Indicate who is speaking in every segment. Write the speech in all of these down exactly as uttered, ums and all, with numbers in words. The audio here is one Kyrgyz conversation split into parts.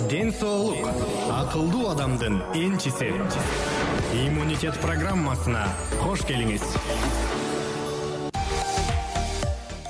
Speaker 1: Ден соолук акылдуу адамдын энчиси. Иммунитет программасына кош келиңиз.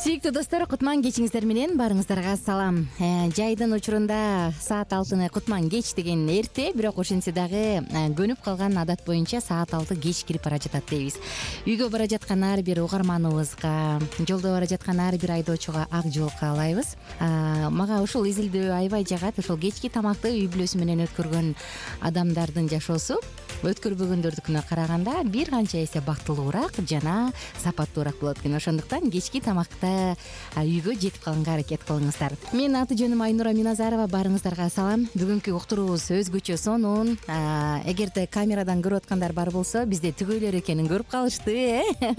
Speaker 2: Сүйүктүү достор, кутман кечиңиздер менен баарыңыздарга салам. Э, жайдын учурунда саат алтыны кутман кеч деген эрте, бирок ошентсе дагы көнүп калган адат боюнча саат алты кеч кирип бара жатат дейбиз. Үйгө бара жаткан ар бир угарманыбызга, жолдо бара жаткан ар бир айдоочуга ак жол каалайбыз. Мага ушул изилдөө аябай жагат. Ошол кечки тамакты үй бүлөсү менен өткөргөн адамдардын жашоосу өткөрбөгөндөрдүкүнө караганда бир канча эсе бактылуураак жана сапаттуураак болот экен. Ошондуктан кечки тамакты үйгө жетип калганга аракет кылыңыздар. Менин аты жөнүм Айнура Миназарова, баарыңыздарга салам. Бүгүнкү уктуруубуз өзгөчө сонун. Эгерде камерадан көрүп аткандар бар болсо, бизде түгөйлөр экенин көрүп калышты, э?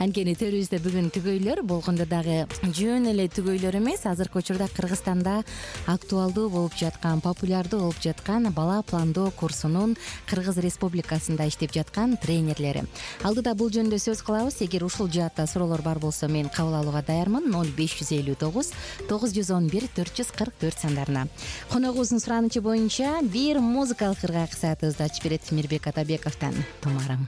Speaker 2: Анткени төрүбүздө бүгүн түгөйлөр болгондо дагы жөн эле түгөйлөр эмес, азыркы учурда Кыргызстанда актуалдуу болуп жаткан, популярдуу болуп жаткан бала пландоо курсунун Кыргыз Республикасында иштеп жаткан тренерлери. Алдыда бул жөнүндө сөз кылабыз. Эгер ушул жаатта суроолор бар болсо, мен кабыл алууга даярмын. ноль беш жүз элүү тогуз тогуз жүз он бир төрт жүз кырк төрт сандарына. Коногубуздун суранычы боюнча бир музыкалык ыргак саатыбызды ачып берет Мирбек Атабековдон «Тумарым».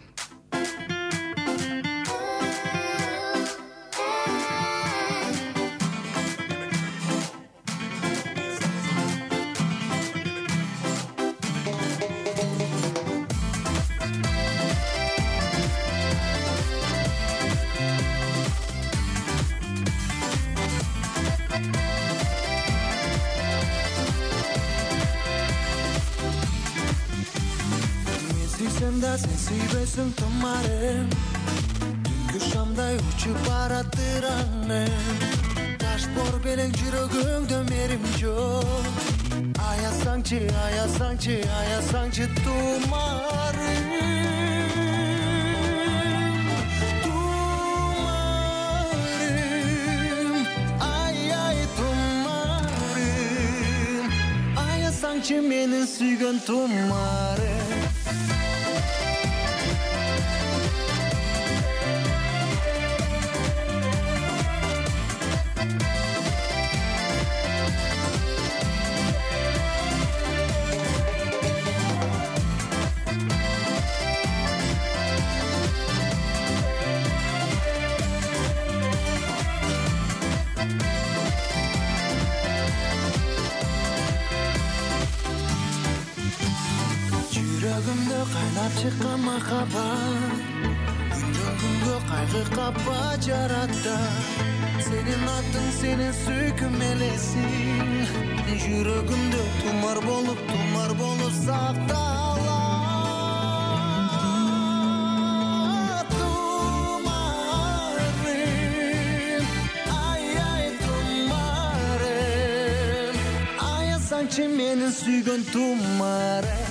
Speaker 3: Sen suybesin tumarım, dünkü şamday uçup baratır annem. Taş bor belen жүрөгүңдө мерим жок. Аясаңчы, аясаңчы, аясаңчы тумарым, тумарым, ай ай тумарым. Аясаңчы менин сүйгөн тумарым. Жүрөгүмдө кайнап чыккан махаббат, күндөн күнгө кайгы капа жаратты. Сенин атың, сенин сүйкүм элесиң, жүрөгүмдө тумар болуп, тумар болуп сакталат. Тумарым, ай ай тумарым, аясаңчы менин сүйгөн тумарым.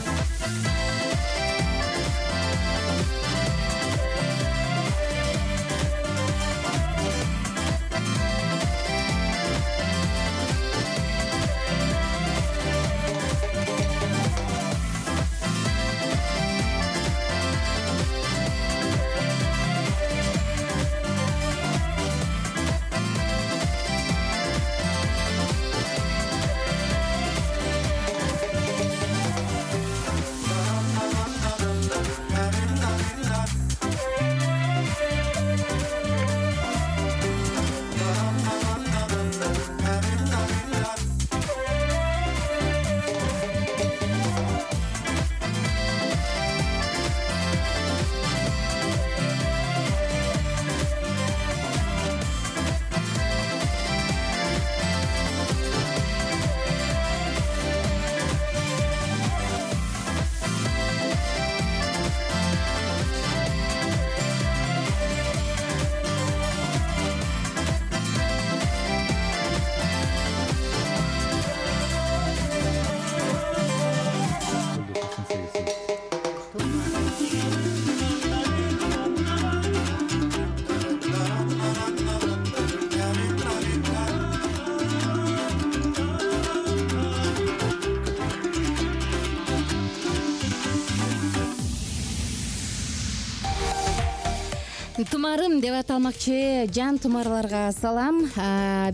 Speaker 2: Тумарым деп аталмакчы жан тумарларга салам.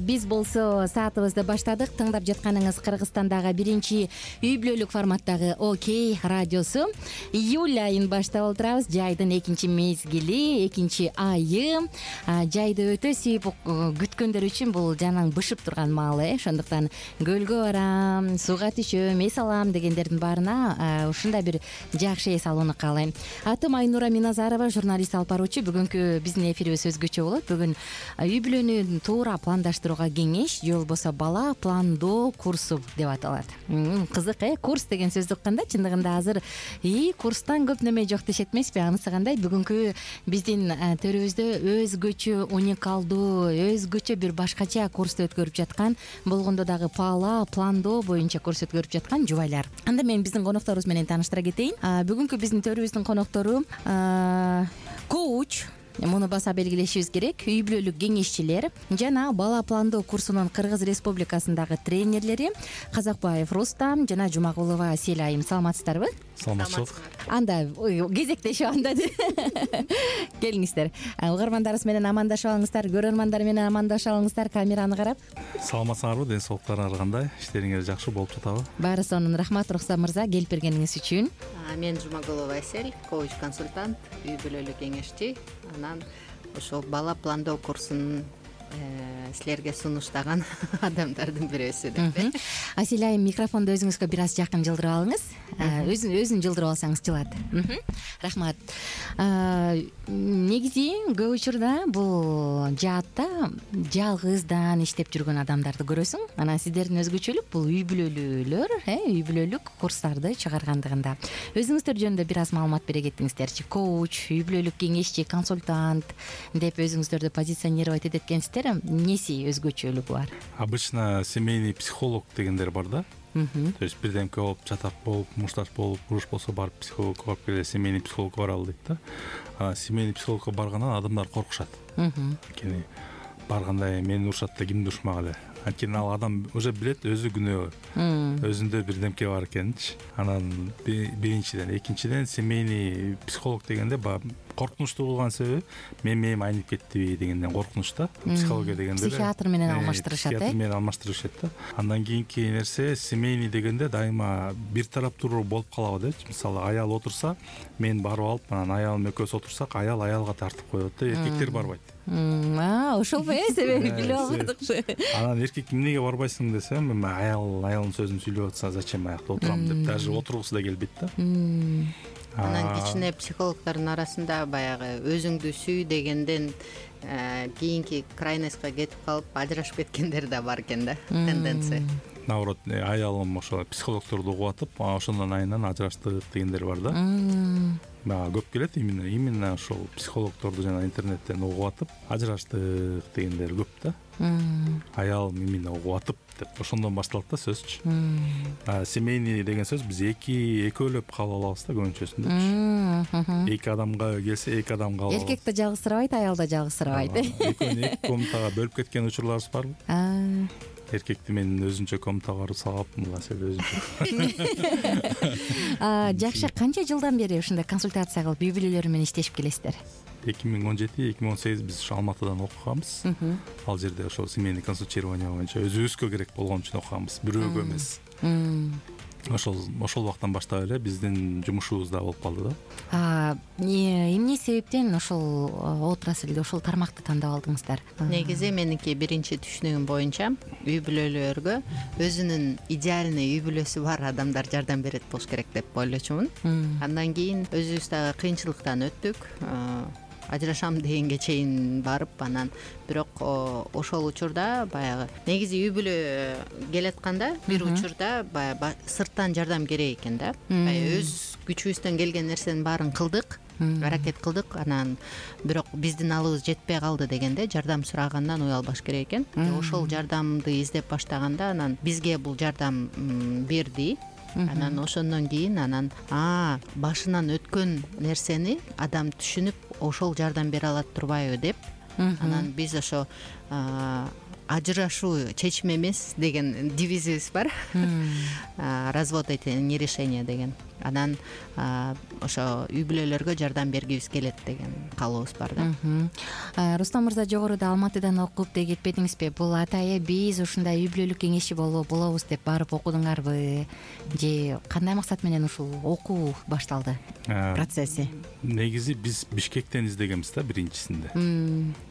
Speaker 2: Биз болсо саатыбызды баштадык. Тыңдап жатканыңыз Кыргызстандагы биринчи үй бүлөлүк форматтагы Окей радиосу. Июль айын баштап отурабыз. Жайдын экинчи мезгили, экинчи айы. Жайды өтө сүйүп күткөндөр үчүн бул жанаң бышып турган маалы. Ошондуктан көлгө барам, сууга түшөм, эс алам дегендердин баарына ушундай бир жакшы эс алууну каалайм. Атым Айнура Миназарова, журналист алып баруучу. Бүгүн биздин эфирибиз өзгөчө болот. Бүгүн үй бүлөнү туура пландаштырууга кеңеш же болбосо бала пландоо курсу деп аталат. Кызык э, курс деген сөздү укканда чындыгында азыр и курстан көп неме жок дешет эмеспи? Анысы кандай? Бүгүнкү биздин төрүбүздө өзгөчө, уникалдуу, өзгөчө бир башкача курсту өткөрүп жаткан, болгондо дагы бала пландоо боюнча курс өткөрүп жаткан жубайлар. Анда мен биздин конокторубуз менен тааныштыра кетейин. Бүгүнкү биздин төрүбүздүн коноктору коуч, муну баса белгилешибиз керек, үй бүлөлүк кеңешчилер жана бала пландоо курсунун Кыргыз Республикасындагы тренерлери Казакбаев Рустам жана Жумагулова Селайым. Саламатсыздарбы?
Speaker 4: Саламатсыз.
Speaker 2: Анда кезектешип анда келиңиздер. Угармандарыбыз менен амандашып алыңыздар, көрөрмандар менен амандашып алыңыздар камераны карап.
Speaker 4: Саламатсыңарбы? Ден соолуктарыңар кандай? Иштериңер жакшы болуп жатабы?
Speaker 2: Баары сонун рахмат Рустам мырза келип бергениңиз үчүн.
Speaker 5: Мен Жумагулова Эсель, коуч консультант, үй бүлөлүк кеңешчи. Анан ошол бала пландоо курсун силерге сунуштаган адамдардын бирөөсү деп.
Speaker 2: Аселайым, микрофонду өзүңүзгө бир аз жакын жылдырып алыңыз. Өзүн өзүн жылдырып алсаңыз жылат. Рахмат. Негизи көп учурда бул жаатта жалгыздан иштеп жүргөн адамдарды көрөсүң. Анан сиздердин өзгөчөлүк бул үй бүлөлүүлөр, үй бүлөлүк курстарды чыгаргандыгында. Өзүңүздөр жөнүндө бир аз маалымат бере кетиңиздерчи. Коуч, үй бүлөлүк кеңешчи, консультант деп өзүңүздөрдү позиционировать этет экенсиздер. Эмнеси өзгөчөлүгү бар?
Speaker 4: Обычно семейный психолог дегендер бар да. То есть бирдемке болуп, чатак болуп, мушташ болуп, уруш болсо барып психологко барып келе, семейный психологко баралы дейт да. А семейный психологко баргандан адамдар коркушат. Анткени барганда мени урушат да кимди урушмак эле. Анткени ал адам уже билет өзү күнөө, өзүндө бирдемке бар экенинчи. Анан биринчиден, экинчиден семейный психолог дегенде баягы коркунучтуу болгон себеби мен мээм айнып кеттиби дегенден коркунуч да. Психология дегенде
Speaker 2: психиатр менен алмаштырышат, э?
Speaker 4: Психиатр менен алмаштырышат да. Андан кийинки нерсе семейный дегенде дайыма бир тараптуу болуп калабы депчи. Мисалы, аял отурса, мен барып алып, анан аялым экөөбүз отурсак, аял аялга тартып коет да, эркектер барбайт.
Speaker 2: А, ошолбу э, себеби билип албадыкчы.
Speaker 4: Анан эркек эмнеге барбайсың десем, мен аял аялдын сөзүн сүйлөп атса, зачем аякта отурам деп даже отургусу да келбейт да.
Speaker 5: Анан кичине психологдордун арасында баягы өзүңдү сүй дегенден кийинки крайностька кетип калып ажырашып кеткендер да бар экен да, тенденция.
Speaker 4: Наоборот, аялым ошо психологдорду угуп атып, ошондон айынан ажыраштык дегендер бар да. Мага көп келет именно именно ошол психологдорду жана интернеттен угуп атып, ажыраштык дегендер көп да. Аялым именно угуп атып деп ошондон башталат да сөзчү. Семейный деген сөз биз эки экөөлөп кабыл алабыз да көбүнчөсүндө. Эки адамга келсе, эки адамга алабыз.
Speaker 2: Эркек да жалгызсырабайт, аял да жалгызсырабайт.
Speaker 4: Экөөнү эки комнатага бөлүп кеткен учурларыбыз барбы? Эркекти мен өзүнчө комнатага барып салгапмын, маселе өзүнчө.
Speaker 2: Жакшы, канча жылдан бери ушундай консультация кылып үй бүлөлөр менен иштешип келесиздер?
Speaker 4: эки миң он жети эки миң он сегиз биз ушу Алматыдан окуганбыз. Ал жерде ошол семейный консультирование боюнча өзүбүзгө керек болгон үчүн окуганбыз, бирөөгө эмес. Ошол ошол убактан баштап эле биздин жумушубуз да болуп калды да.
Speaker 2: Эмне себептен ошол отраслды, ошол тармакты тандап алдыңыздар?
Speaker 5: Негизи меники биринчи түшүнүгүм боюнча үй бүлөлөргө өзүнүн идеальный үй бүлөсү бар адамдар жардам берет болуш керек деп ойлочумун. Андан кийин өзүбүз дагы кыйынчылыктан өттүк. Ажырашам дегенге чейин барып, анан бирок ошол учурда баягы негизи үй бүлө келатканда бир учурда баягы сырттан жардам керек экен да. Өз күчүбүздөн келген нерсенин баарын кылдык, аракет кылдык, анан бирок биздин алыбыз жетпей калды дегенде жардам сурагандан уялбаш керек экен. Ошол жардамды издеп баштаганда анан бизге бул жардам берди. Анан ошондон кийин анан а башынан өткөн нерсени адам түшүнүп ошол жардам бере алат турбайбы деп анан биз ошо ажырашуу чечим эмес деген девизибиз бар. Развод — это не решение деген. анан ошо үй бүлөлөргө жардам бергибиз келет деген каалообуз бар да.
Speaker 2: Рустам мырза, жогоруда Алматыдан окуп деги кетпедиңизби? Бул атайы биз ушундай үй бүлөлүк кеңешчи болобуз деп барып окудуңарбы же кандай максат менен ушул окуу башталды процесси?
Speaker 4: Негизи биз Бишкектен издегенбиз да биринчисинде.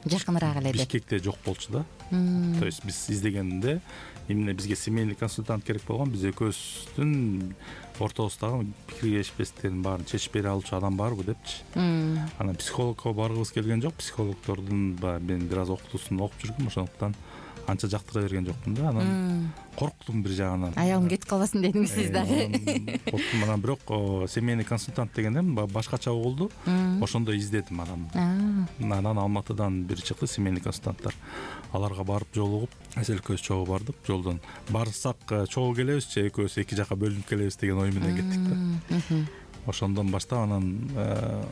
Speaker 2: Жакыныраак эле деп.
Speaker 4: Бишкекте жок болчу да. То есть биз издегенде именно бизге семейный консультант керек болгон, биз экөөбүздүн ортобуздагы пикиргешпестиктердин баарын чечип бере алчу адам барбы депчи. Анан психологко баргыбыз келген жок. Психологдордун баягы мен бир аз окутуусун окуп жүргөм, ошондуктан анча жактыра берген жокмун да. Анан корктум бир жагынан.
Speaker 2: Аялым кетип калбасын дедиңиз сиз дагы.
Speaker 4: Корктум. Анан бирок семейный консультант дегенде башкача угулду. Ошондо издедим анан. Анан Алматыдан бир чыкты семейный консультанттар. Аларга барып жолугуп, эсел экөөбүз чогуу бардык. Жолдон барсак чогуу келебиз же экөөбүз эки жака бөлүнүп келебиз деген ой менен кеттик да. Ошондон баштап анан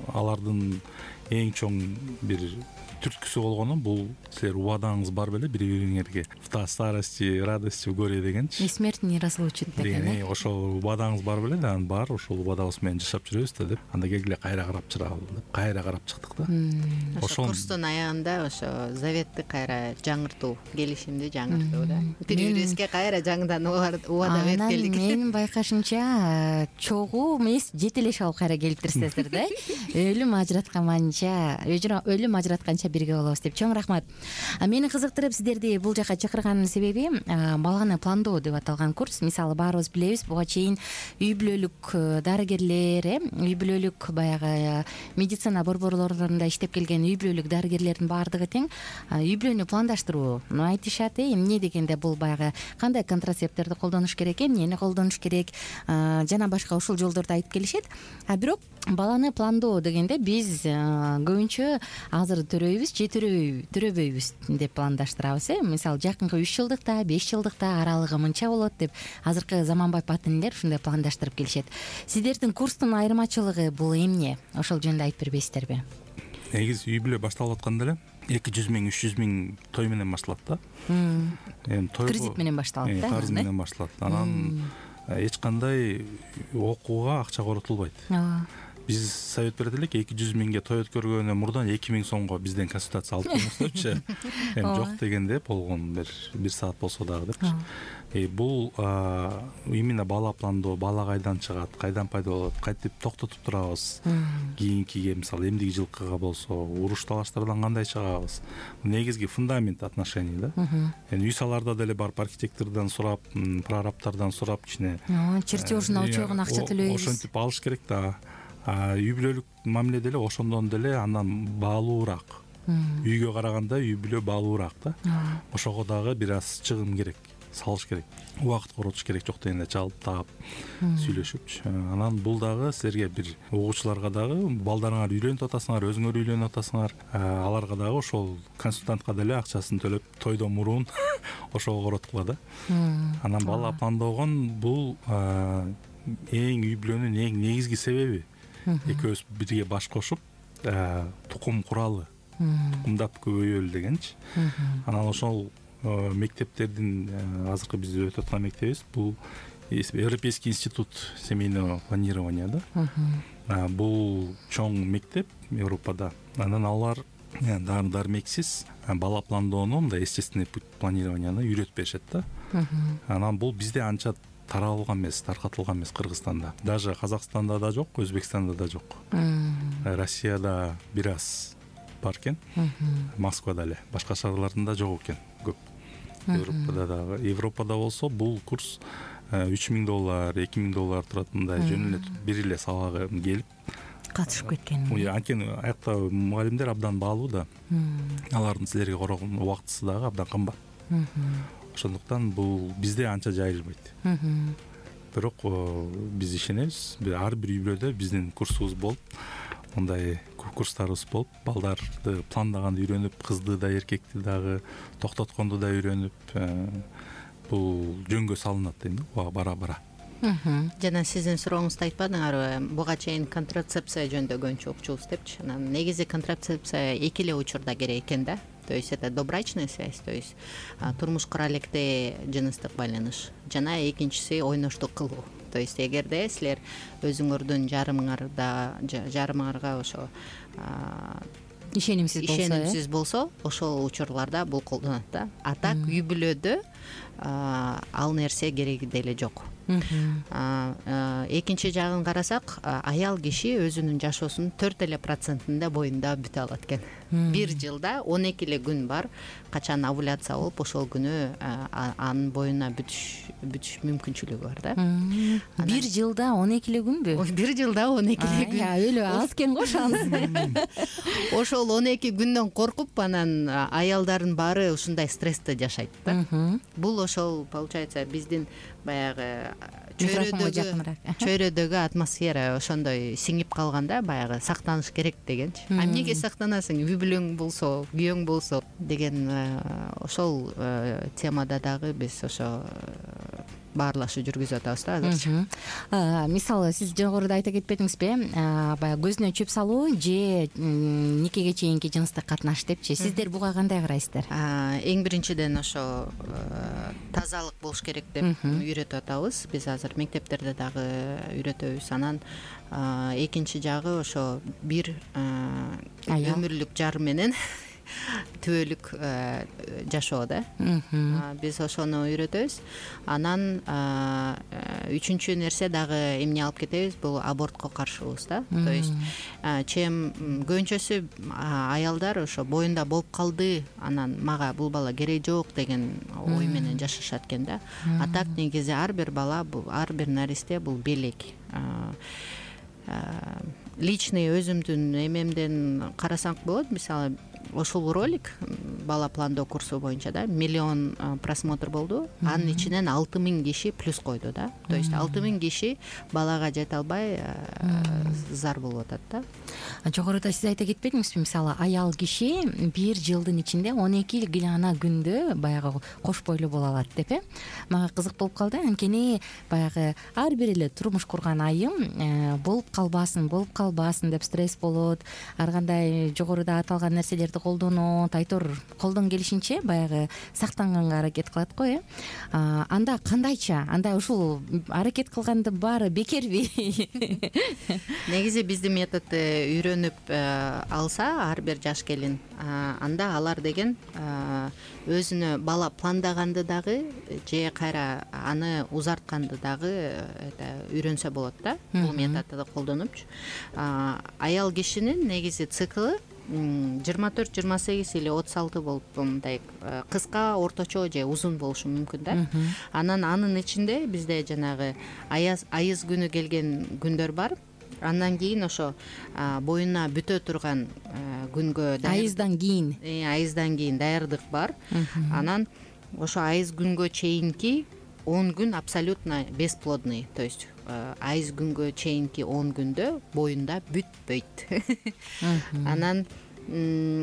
Speaker 4: алардын эң чоң бир түрткүсү болгону бул силер убадаңыз бар беле бири бириңерге. В старости радости в горе дегенчи.
Speaker 2: И смерть не разлучит деген.
Speaker 4: Ошол убадаңыз бар беле да, анан бар, ошол убадабыз менен жашап жүрөбүз да деп. Анда келгиле кайра карап чырабы деп, кайра карап чыктык да.
Speaker 5: Ошо курстун аягында ошо заветти кайра жаңыртуу, келишимди жаңыртуу да. Бири бирибизге кайра жаңыдан убада берип келдик.
Speaker 2: Менин байкашымча чогуу эмес, жетелеш алып кайра келиптирсиздер да. Өлүм ажыратканча, өлүм ажыратканча бирге болобуз деп. Чоң рахмат. Мени кызыктырып сиздерди бул жака чакырганын себеби баланы пландоо деп аталган курс. Мисалы баарыбыз билебиз, буга чейин үй бүлөлүк дарыгерлер, үй бүлөлүк баягы медицина борборлорунда иштеп келген үй бүлөлүк дарыгерлердин баардыгы тең үй бүлөнү пландаштырууну айтышат. Эмне дегенде бул баягы кандай контрацепттерди колдонуш керек, эмнени колдонуш керек жана башка ушул жолдорду айтып келишет. А бирок баланы пландоо дегенде биз көбүнчө азыр төрөйбүз же төрөбөйбүз деп пландаштырабыз. Мисалы жакынкы үч жылдыкта, беш жылдыкта аралыгы мынча болот деп азыркы заманбай патенлер ушундай пландаштырып келишет. Сиздердин курстун айырмачылыгы бул эмне? Ошол жөнүндө айтып бербейсиздерби?
Speaker 4: Негизи үй бүлө башталып атканда эле эки жүз миң, үч жүз миң той менен башталат да. Эми той
Speaker 2: кредит менен башталат да.
Speaker 4: Карыз менен башталат. Анан эч кандай окууга акча коротулбайт. Биз совет берет элек, эки жүз миңге той өткөргөндөн мурдан эки миң сомго бизден консультация алып коюңуз депчи. Эми жок дегенде болгон бир бир саат болсо дагы депчи. Э бул именно бала пландоо, бала кайдан чыгат, кайдан пайда болот, кантип токтотуп турабыз. Кийинкиге мисалы эмдиги жылкыга болсо, уруш талаштардан кандай чыгабыз. Негизги фундамент отношений да. Эми үй саларда деле барып архитектордон сурап, прорабтардан сурап кичине
Speaker 2: чертежин учогун акча төлөйбүз.
Speaker 4: Ошентип алыш керек да. Үй бүлөлүк мамиле деле ошондон деле андан баалуураак. Үйгө караганда үй бүлө баалуураак да. Ошого дагы бир аз чыгым керек, салыш керек. Убакыт коротуш керек жок дегенде чалып таап сүйлөшүпчү. Анан бул дагы силерге бир угуучуларга дагы балдарыңар үйлөнүп атасыңар, өзүңөр үйлөнүп атасыңар. Аларга дагы ошол консультантка деле акчасын төлөп тойдон мурун ошого короткула да. Анан бала пландоогон бул эң үй бүлөнүн эң негизги себеби. Экөөбүз бирге баш кошуп тукум куралы, тукумдап көбөйөлү дегенчи. Анан ошол мектептердин азыркы биз өтүп аткан мектебибиз бул Европейский институт семейного планирования да. Бул чоң мектеп Европада. Анан алар дары дармексиз бала пландоону, мындай естественный путь планированияны үйрөтүп беришет да. Анан бул бизде анча таралган эмес, таркатылган эмес Кыргызстанда. Даже Казакстанда да жок, Өзбекстанда да жок. Россияда бир аз бар экен. Москвада эле, башка шаарларында жок экен көп. Европада дагы. Европада болсо бул курс үч миң доллар, эки миң доллар турат, мындай жөн эле бир эле сабагы келип
Speaker 2: катышып кеткен.
Speaker 4: Анткени аякта мугалимдер абдан баалуу да. Алардын силерге коргон убактысы дагы абдан кымбат. Ошондуктан бул бизде анча жайылбайт. Бирок биз ишенебиз, ар бир үй бүлөдө биздин курсубуз болуп, мындай курстарыбыз болуп, балдарды пландаганды үйрөнүп, кызды да, эркекти дагы токтотконду да үйрөнүп, бул жөнгө салынат дейм да, бара-бара.
Speaker 5: Жана сиздин сурооңузду айтпадыңарбы? Буга чейин контрацепция жөнүндө көбүнчө окучубуз депчи. Анан негизи контрацепция эки эле учурда керек экен да. То есть это добрачная связь, то есть турмуш кура электе жыныстык байланыш. Жана экинчиси ойноштук кылуу. то есть эгерде силер өзүңөрдүн жарымыңарда жарымыңарга ошо
Speaker 2: ишенимсиз болсо
Speaker 5: ишенимсиз болсо ошол учурларда бул колдонулат да. А так үй бүлөдө ал нерсе кереги деле жок. Экинчи жагын карасак, аял киши өзүнүн жашоосунун төрт эле процентинде боюнда бүтө алат экен. Бир жылда он эки эле күн бар, качан овуляция болуп ошол күнү анын боюна бүтүш бүтүш мүмкүнчүлүгү бар да.
Speaker 2: Бир жылда он эки эле күнбү?
Speaker 5: Бир жылда он эки эле күн.
Speaker 2: Өлө аз экен го шанс.
Speaker 5: Ошол он эки күндөн коркуп, анан аялдардын баары ушундай стрессте жашайт да. Бул ошол получается биздин баягы чөйрөдөгү чөйрөдөгү атмосфера ошондой сиңип калганда, баягы сактаныш керек дегенчи. А эмнеге сактанасың? Үй бүлөң болсо, күйөөң болсо деген ошол темада дагы биз ошо баарлашуу жүргүзүп атабыз да азырчы.
Speaker 2: Мисалы, сиз жогоруда айта кетпедиңизби, баягы көзүнө чөп салуу же никеге чейинки жыныстык катнаш депчи. Сиздер буга кандай карайсыздар?
Speaker 5: Эң биринчиден ошо тазалык болуш керек деп үйрөтүп атабыз. Биз азыр мектептерде дагы үйрөтөбүз. Анан экинчи жагы ошо бир өмүрлүк жар менен түбөлүк жашоо да. Биз ошону үйрөтөбүз. Анан үчүнчү нерсе дагы эмне алып кетебиз, бул абортко каршыбыз да. То есть чем көбүнчөсү аялдар ошо боюнда болуп калды, анан мага бул бала кереги жок деген ой менен жашашат экен да. А так негизи ар бир бала, бул ар бир наристе бул белек. Личный өзүмдүн эмемден карасак болот. Мисалы, ошол ролик бала пландоо курсу боюнча да миллион просмотр болду. Анын ичинен алты миң киши плюс койду да. То есть алты миң киши балага жете албай зар болуп атат да.
Speaker 2: Жогоруда сиз айта кетпедиңизби, мисалы, аял киши бир жылдын ичинде он эки гана күндө баягы кош бойлуу боло алат деп э. Мага кызык болуп калды. Анткени баягы ар бир эле турмуш курган айым болуп калбасын, болуп калбасын деп стресс болот. Ар кандай жогоруда аталган нерселерди колдонот, айтор колдон келишинче баягы сактанганга аракет кылат го э. Анда кандайча? Анда ушул аракет кылгандын баары бекерби?
Speaker 5: Негизи биздин методду үйрөнүп алса ар бир жаш келин, анда алар деген өзүнө бала пландаганды дагы же кайра аны узартканды дагы үйрөнсө болот да, бул методду колдонупчу. Аял кишинин негизи циклы жыйырма төрт жыйырма сегиз или отуз алты болуп, мындай кыска, орточо же узун болушу мүмкүн да. Анан анын ичинде бизде жанагы айыз күнү келген күндөр бар. Андан кийин ошо боюна бүтө турган күнгө
Speaker 2: айыздан кийин
Speaker 5: айыздан кийин даярдык бар. Анан ошо айыз күнгө чейинки он күн абсолютно бесплодный, то есть айыз күнгө чейинки он күндө боюнда бүтпөйт. Анан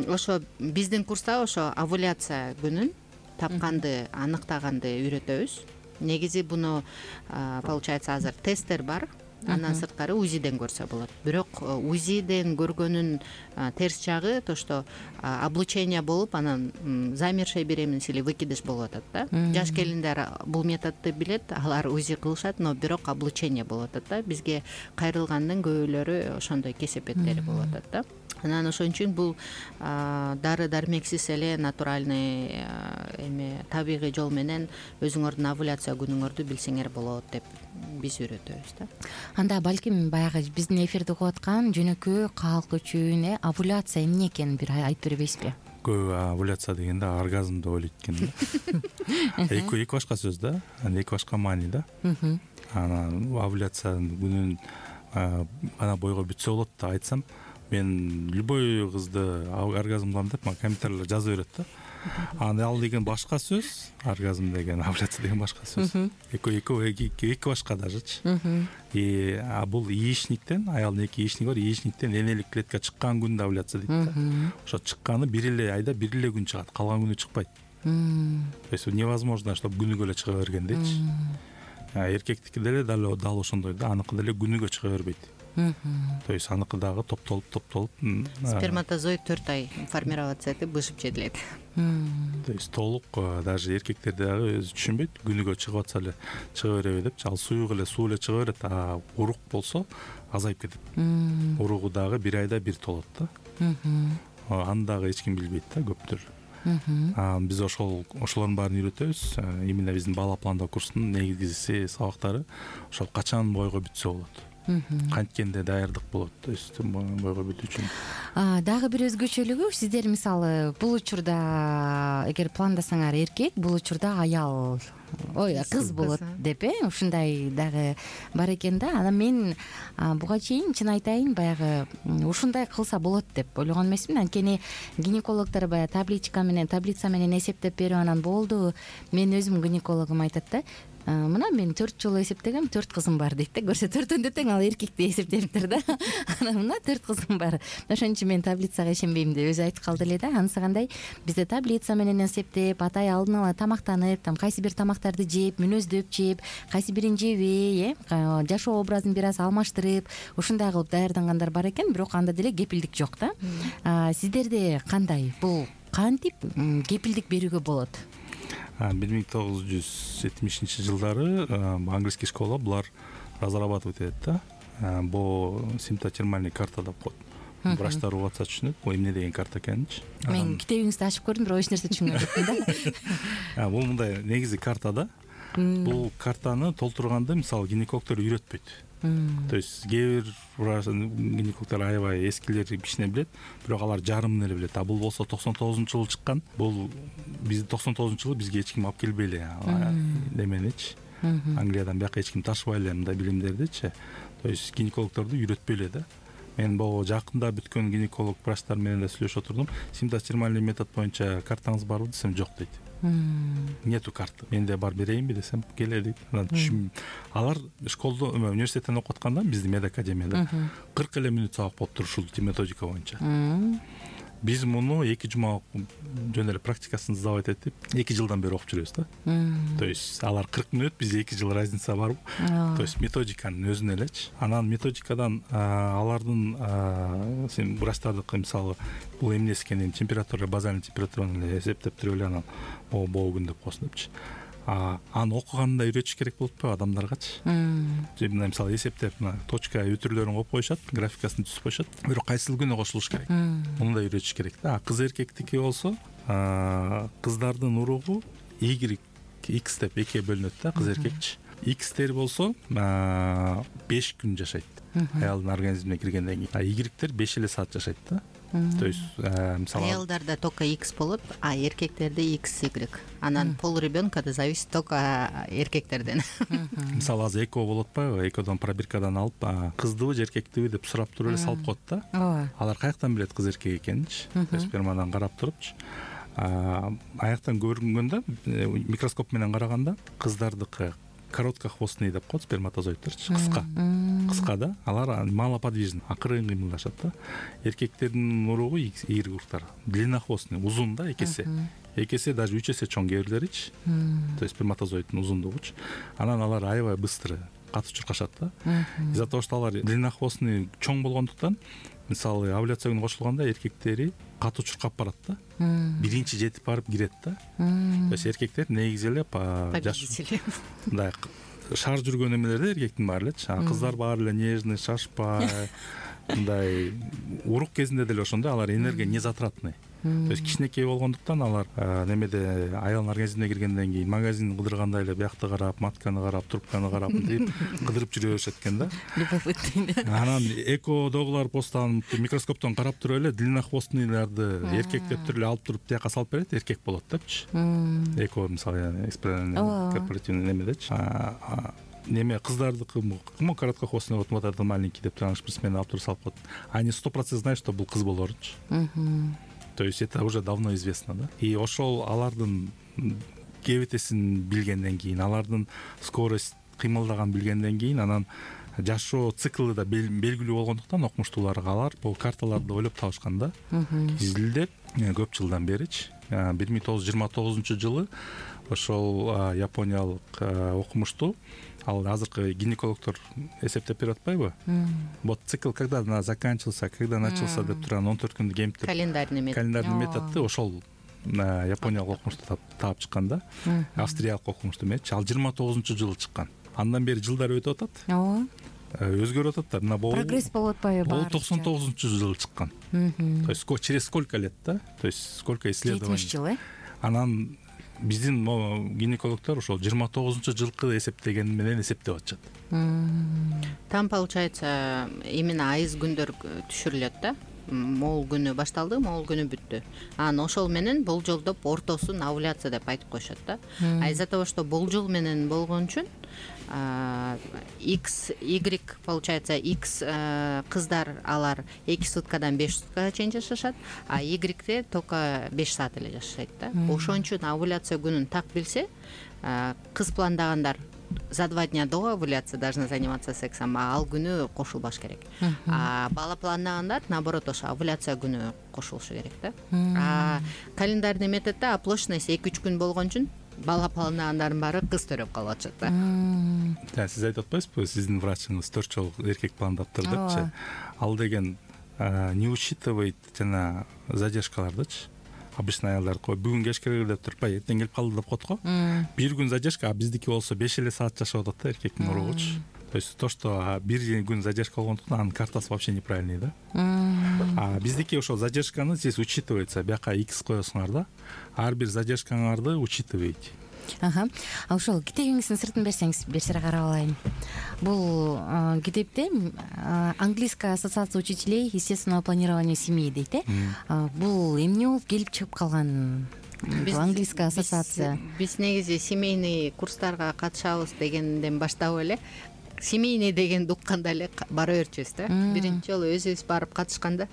Speaker 5: ошо биздин курста ошо овуляция күнүн тапканды, аныктаганды үйрөтөбүз. Негизи буну получается азыр тесттер бар. Андан сырткары УЗИден көрсө болот. Бирок УЗИден көргөнүн терс жагы то, что облучение болуп, анан замершая беременность или выкидыш болуп атат да. Жаш келиндер бул методду билет, алар УЗИ кылышат, но бирок облучение болуп атат да. Бизге кайрылгандын көбүлөрү ошондой кесепеттери болуп атат да. Анан ошон үчүн бул дары дармексиз эле натуральный эме табигый жол менен өзүңөрдүн овуляция күнүңөрдү билсеңер болот деп биз үйрөтөбүз да.
Speaker 2: Анда балким баягы биздин эфирди угуп аткан жөнөкөй калк үчүн э овуляция эмне экенин бир айтып бербейсизби?
Speaker 4: Көп овуляция дегенде оргазм деп ойлойт экен да. Эки эки башка сөз да, эки башка маани да. Анан овуляциянын күнүн ана бойго бүтсө болот да айтсам, мен любой кызды оргазм кылам деп мага комментарийлер жазып берет да. Аны ал деген башка сөз, оргазм деген, овуляция деген башка сөз. Эки эки эки башка дажечи. И а бул яичниктен, аялдын эки яичниги бар, яичниктен энелик клетка чыккан күндө овуляция дейт да. Ошо чыкканы бир эле айда бир эле күн чыгат, калган күнү чыкпайт. То есть невозможно, чтобы күнүгө эле чыга бергендейчи. Эркектики деле дал ошондой да, аныкы деле күнүгө чыга бербейт. То есть аныкы дагы топтолуп топтолуп
Speaker 5: сперматозоид төрт ай формироваться этип бышып жетилет.
Speaker 4: То есть толук даже эркектер дагы өзү түшүнбөйт, күнүгө чыгып атса эле чыга береби депчи. Ал суюк эле суу эле чыга берет, а урук болсо азайып кетет. Уругу дагы бир айда бир толот да. Аны дагы эч ким билбейт да, көптөр. Биз ошол ошолордун баарын үйрөтөбүз. Именно биздин бала пландоо курсунун негизги сабактары ошол качан бойго бүтсө болот, канткенде даярдык болот, то есть бойго бүтүү үчүн.
Speaker 2: Дагы бир өзгөчөлүгү, сиздер мисалы бул учурда эгер пландасаңар эркек, бул учурда аял, ой, кыз болот деп, э, ушундай дагы бар экен да. Анан мен буга чейин чын айтайын, баягы ушундай кылса болот деп ойлогон эмесмин. Анткени гинекологдор баягы табличка менен, таблица менен эсептеп берип анан болду. Мен өзүм гинекологум айтат да, мына мен төрт жолу эсептегем, төрт кызым бар дейт да. Көрсө төртөндө тең ал эркекти эсептелиптир да. Анан мына төрт кызым бар. Ошон үчүн мен таблицага ишенбейм деп өзү айтып калды эле да. Анысы кандай? Бизде таблица менен эсептеп, атай алдын ала тамактанып, там кайсы бир тамактарды жеп, мүнөздөп жеп, кайсы бирин жебей, э, жашоо образын бир аз алмаштырып, ушундай кылып даярдангандар бар экен, бирок анда деле кепилдик жок да. Сиздерде кандай? Бул кантип кепилдик берүүгө болот?
Speaker 4: бир миң тогуз жүз жетимишинчи жылдары английский школа булар разрабатывать этет да. Бул симптотермальный карта деп коет. Врачтар угатса түшүнөт, бул эмне деген карта экенинчи.
Speaker 2: Мен китебиңизди ачып көрдүм, бирок эч нерсе түшүнгөн жокмун да.
Speaker 4: Бул мындай негизи карта да. Бул картаны толтурганды мисалы гинекологдор үйрөтпөйт. То есть кээ бир гинекологдор аябай эскилер кичине билет, бирок алар жарымын эле билет. А бул болсо токсон тогузунчу жылы чыккан. Бул биз токсон тогузунчу жылы бизге эч ким алып келбей эле неменичи. Англиядан бияка эч ким ташыбай эле мындай билимдердичи. То есть гинекологдорду үйрөтпөй эле да. Мен бул жакында бүткөн гинеколог врачтар менен да сүйлөшүп отурдум. Симптотермальный метод боюнча картаңыз барбы десем, жок дейт. Нету карты. Менде бар берейинби десем, келе дейт. Анан алар школдо, университеттен окуп атканда биздин медакадемияда кырк эле мүнөт сабак болуп турушул методика боюнча. Биз муну эки жума жөн эле практикасын сдавать этип, эки жылдан бери окуп жүрөбүз да. То есть алар кырк мүнөт, бизде эки жыл разница барбы? То есть методиканын өзүнө элечи. Анан методикадан алардын сен врачтардыкы мисалы бул эмнеси экенин, температура, базальный температураны эле эсептеп туруп эле анан могу могу күн деп коесун депчи. Аны окуганда үйрөтүш керек болуп атпайбы адамдаргачы? Мына мисалы эсептеп, мына точка өтүрлөрүн коюп коюшат, графикасын түзүп коюшат. Бирок кайсыл күнү кошулуш керек? Муну да үйрөтүш керек да. Кыз эркектики болсо, кыздардын уругу Y, X деп экиге бөлүнөт да, кыз эркекчи. Xтер болсо беш күн жашайт. Аялдын организмине киргенден кийин. А Y-тер беш эле саат жашайт да. То есть мисалы
Speaker 5: аялдарда только X болот, а эркектерде X Y. Анан пол ребенка да зависит только эркектерден.
Speaker 4: Мисалы азыр эко болот атпайбы? Экодон пробиркадан алып, кыздыбы же эркектиби деп сурап туруп эле салып коет да. Алар каяктан билет кыз эркек экенинчи? Спермадан карап турупчу. Аяктан көрүнгөндө, микроскоп менен караганда кыздардыкы короткохвостный деп коет, сперматозоидтерчи, кыска. Кыска да, алар малоподвижный, акырын кыймылдашат да. Эркектердин уругу ийри уруктар, длиннохвостный, узун да, экесе. Экесе даже үч эсе чоң кээ бирлеричи. То есть сперматозоиддин узундугучу. Анан алар аябай быстрый катуу чуркашат да. Из-за того, что алар длиннохвостный чоң болгондуктан, мисалы овуляция күнү кошулганда эркектери катуу чуркап барат да. Биринчи жетип барып кирет да. То есть эркектер негизи эле
Speaker 5: победители.
Speaker 4: Да, шаар жүргөн эмелерде эркектин баары элечи. Кыздар баары эле нежный, шашпай, мындай урук кезинде деле ошондой, алар энергия незатратный. То есть кичинекей болгондуктан алар немеде аялдын организмине киргенден кийин магазин кыдыргандай эле биякты карап, матканы карап, трубканы карап деп кыдырып жүрө беришет экен да. Анан экодогулар постан микроскоптон карап туруп эле длиннохвостныйларды эркектеп туруп эле алып туруп тияка салып берет, эркек болот депчи. Эко мисалы корпоративный немедечи. Неме кыздардыкы му короткохвостный вот вот этот маленький деп турган спортсмен алып туруп салып коет. Они сто процентов знают, что бул кыз болорунчу. То есть это уже давно известно, да. И ошол алардын кебетесин билгенден кийин, алардын скорость кыймылдаган билгенден кийин, анан жашоо циклы да белгилүү болгондуктан окумуштууларга алар бул карталарды ойлоп табышкан да. Изилдеп көп жылдан беричи. бир миң тогуз жүз жыйырма тогузунчу жылы ошол япониялык окумуштуу ал азыркы гинекологдор эсептеп берип атпайбы? Вот цикл когда она заканчивался, когда начался деп турган он төрт күндүк эмиптеп
Speaker 5: календарный метод
Speaker 4: календарный методду ошол япониялык окумушту таап чыккан да, австриялык окумушту эмес, ал жыйырма тогузунчу жылы чыккан. Андан бери жылдар өтүп атат,
Speaker 2: ооба,
Speaker 4: өзгөрүп атат да. Мына бул
Speaker 2: прогресс болуп атпайбы?
Speaker 4: Бул токсон тогузунчу жылы чыккан. То есть через сколько лет, да? То есть сколько исследований?
Speaker 2: жетимиш жыл, э?
Speaker 4: Анан биздин могу гинекологдор ошол жыйырма тогузунчу жылкы эсептеген менен эсептеп атышат.
Speaker 5: Там получается именно айыз күндөр түшүрүлөт да. Могул күнү башталды, могул күнү бүттү. Анан ошол менен болжолдоп ортосун овуляция деп айтып коюшат да. А из-за того, что болжол менен болгон үчүн X, Y получается X кыздар алар эки суткадан беш суткага чейин жашашат, а Y-те только беш саат эле жашайт да. Ошон үчүн овуляция күнүн так билсе, кыз пландагандар за два дня до овуляции должны заниматься сексом, а ал күнү кошулбаш керек. А бала пландагандар наоборот ошо овуляция күнү кошулушу керек да. А календарный методдо оплошенность эки үч күн болгон үчүн бала пландагандардын баары кыз төрөп калып атышат да.
Speaker 4: Сиз айтып атпайсызбы, сиздин врачыңыз төрт жолу эркек пландаптыр депчи? Ал деген не учитывает жана задержкалардычы. Обычно аялдар кой бүгүн кечке деп турпай эртең келип калды деп коет го. Бир күн задержка, а биздики болсо беш эле саат жашап атат да эркектин уругучу. То есть то, что бир күн задержка болгондуктан анын картасы вообще неправильный да. А биздики ошол задержканы сиз учитывается, бияка X коесуңар да. Ар бир задержкаңарды учитываете.
Speaker 2: Ага. А ошол китебиңиздин сыртын берсеңиз, бир сыра карап алайын. Бул китепте Английская ассоциация учителей естественного планирования семьи дейт, э? Бул эмне болуп келип чыгып калган? Бул Английская ассоциация.
Speaker 5: Биз негизи семейный курстарга катышабыз дегенден баштап эле семейный дегенди укканда эле бара берчүбүз да. Биринчи жолу өзүбүз барып катышканда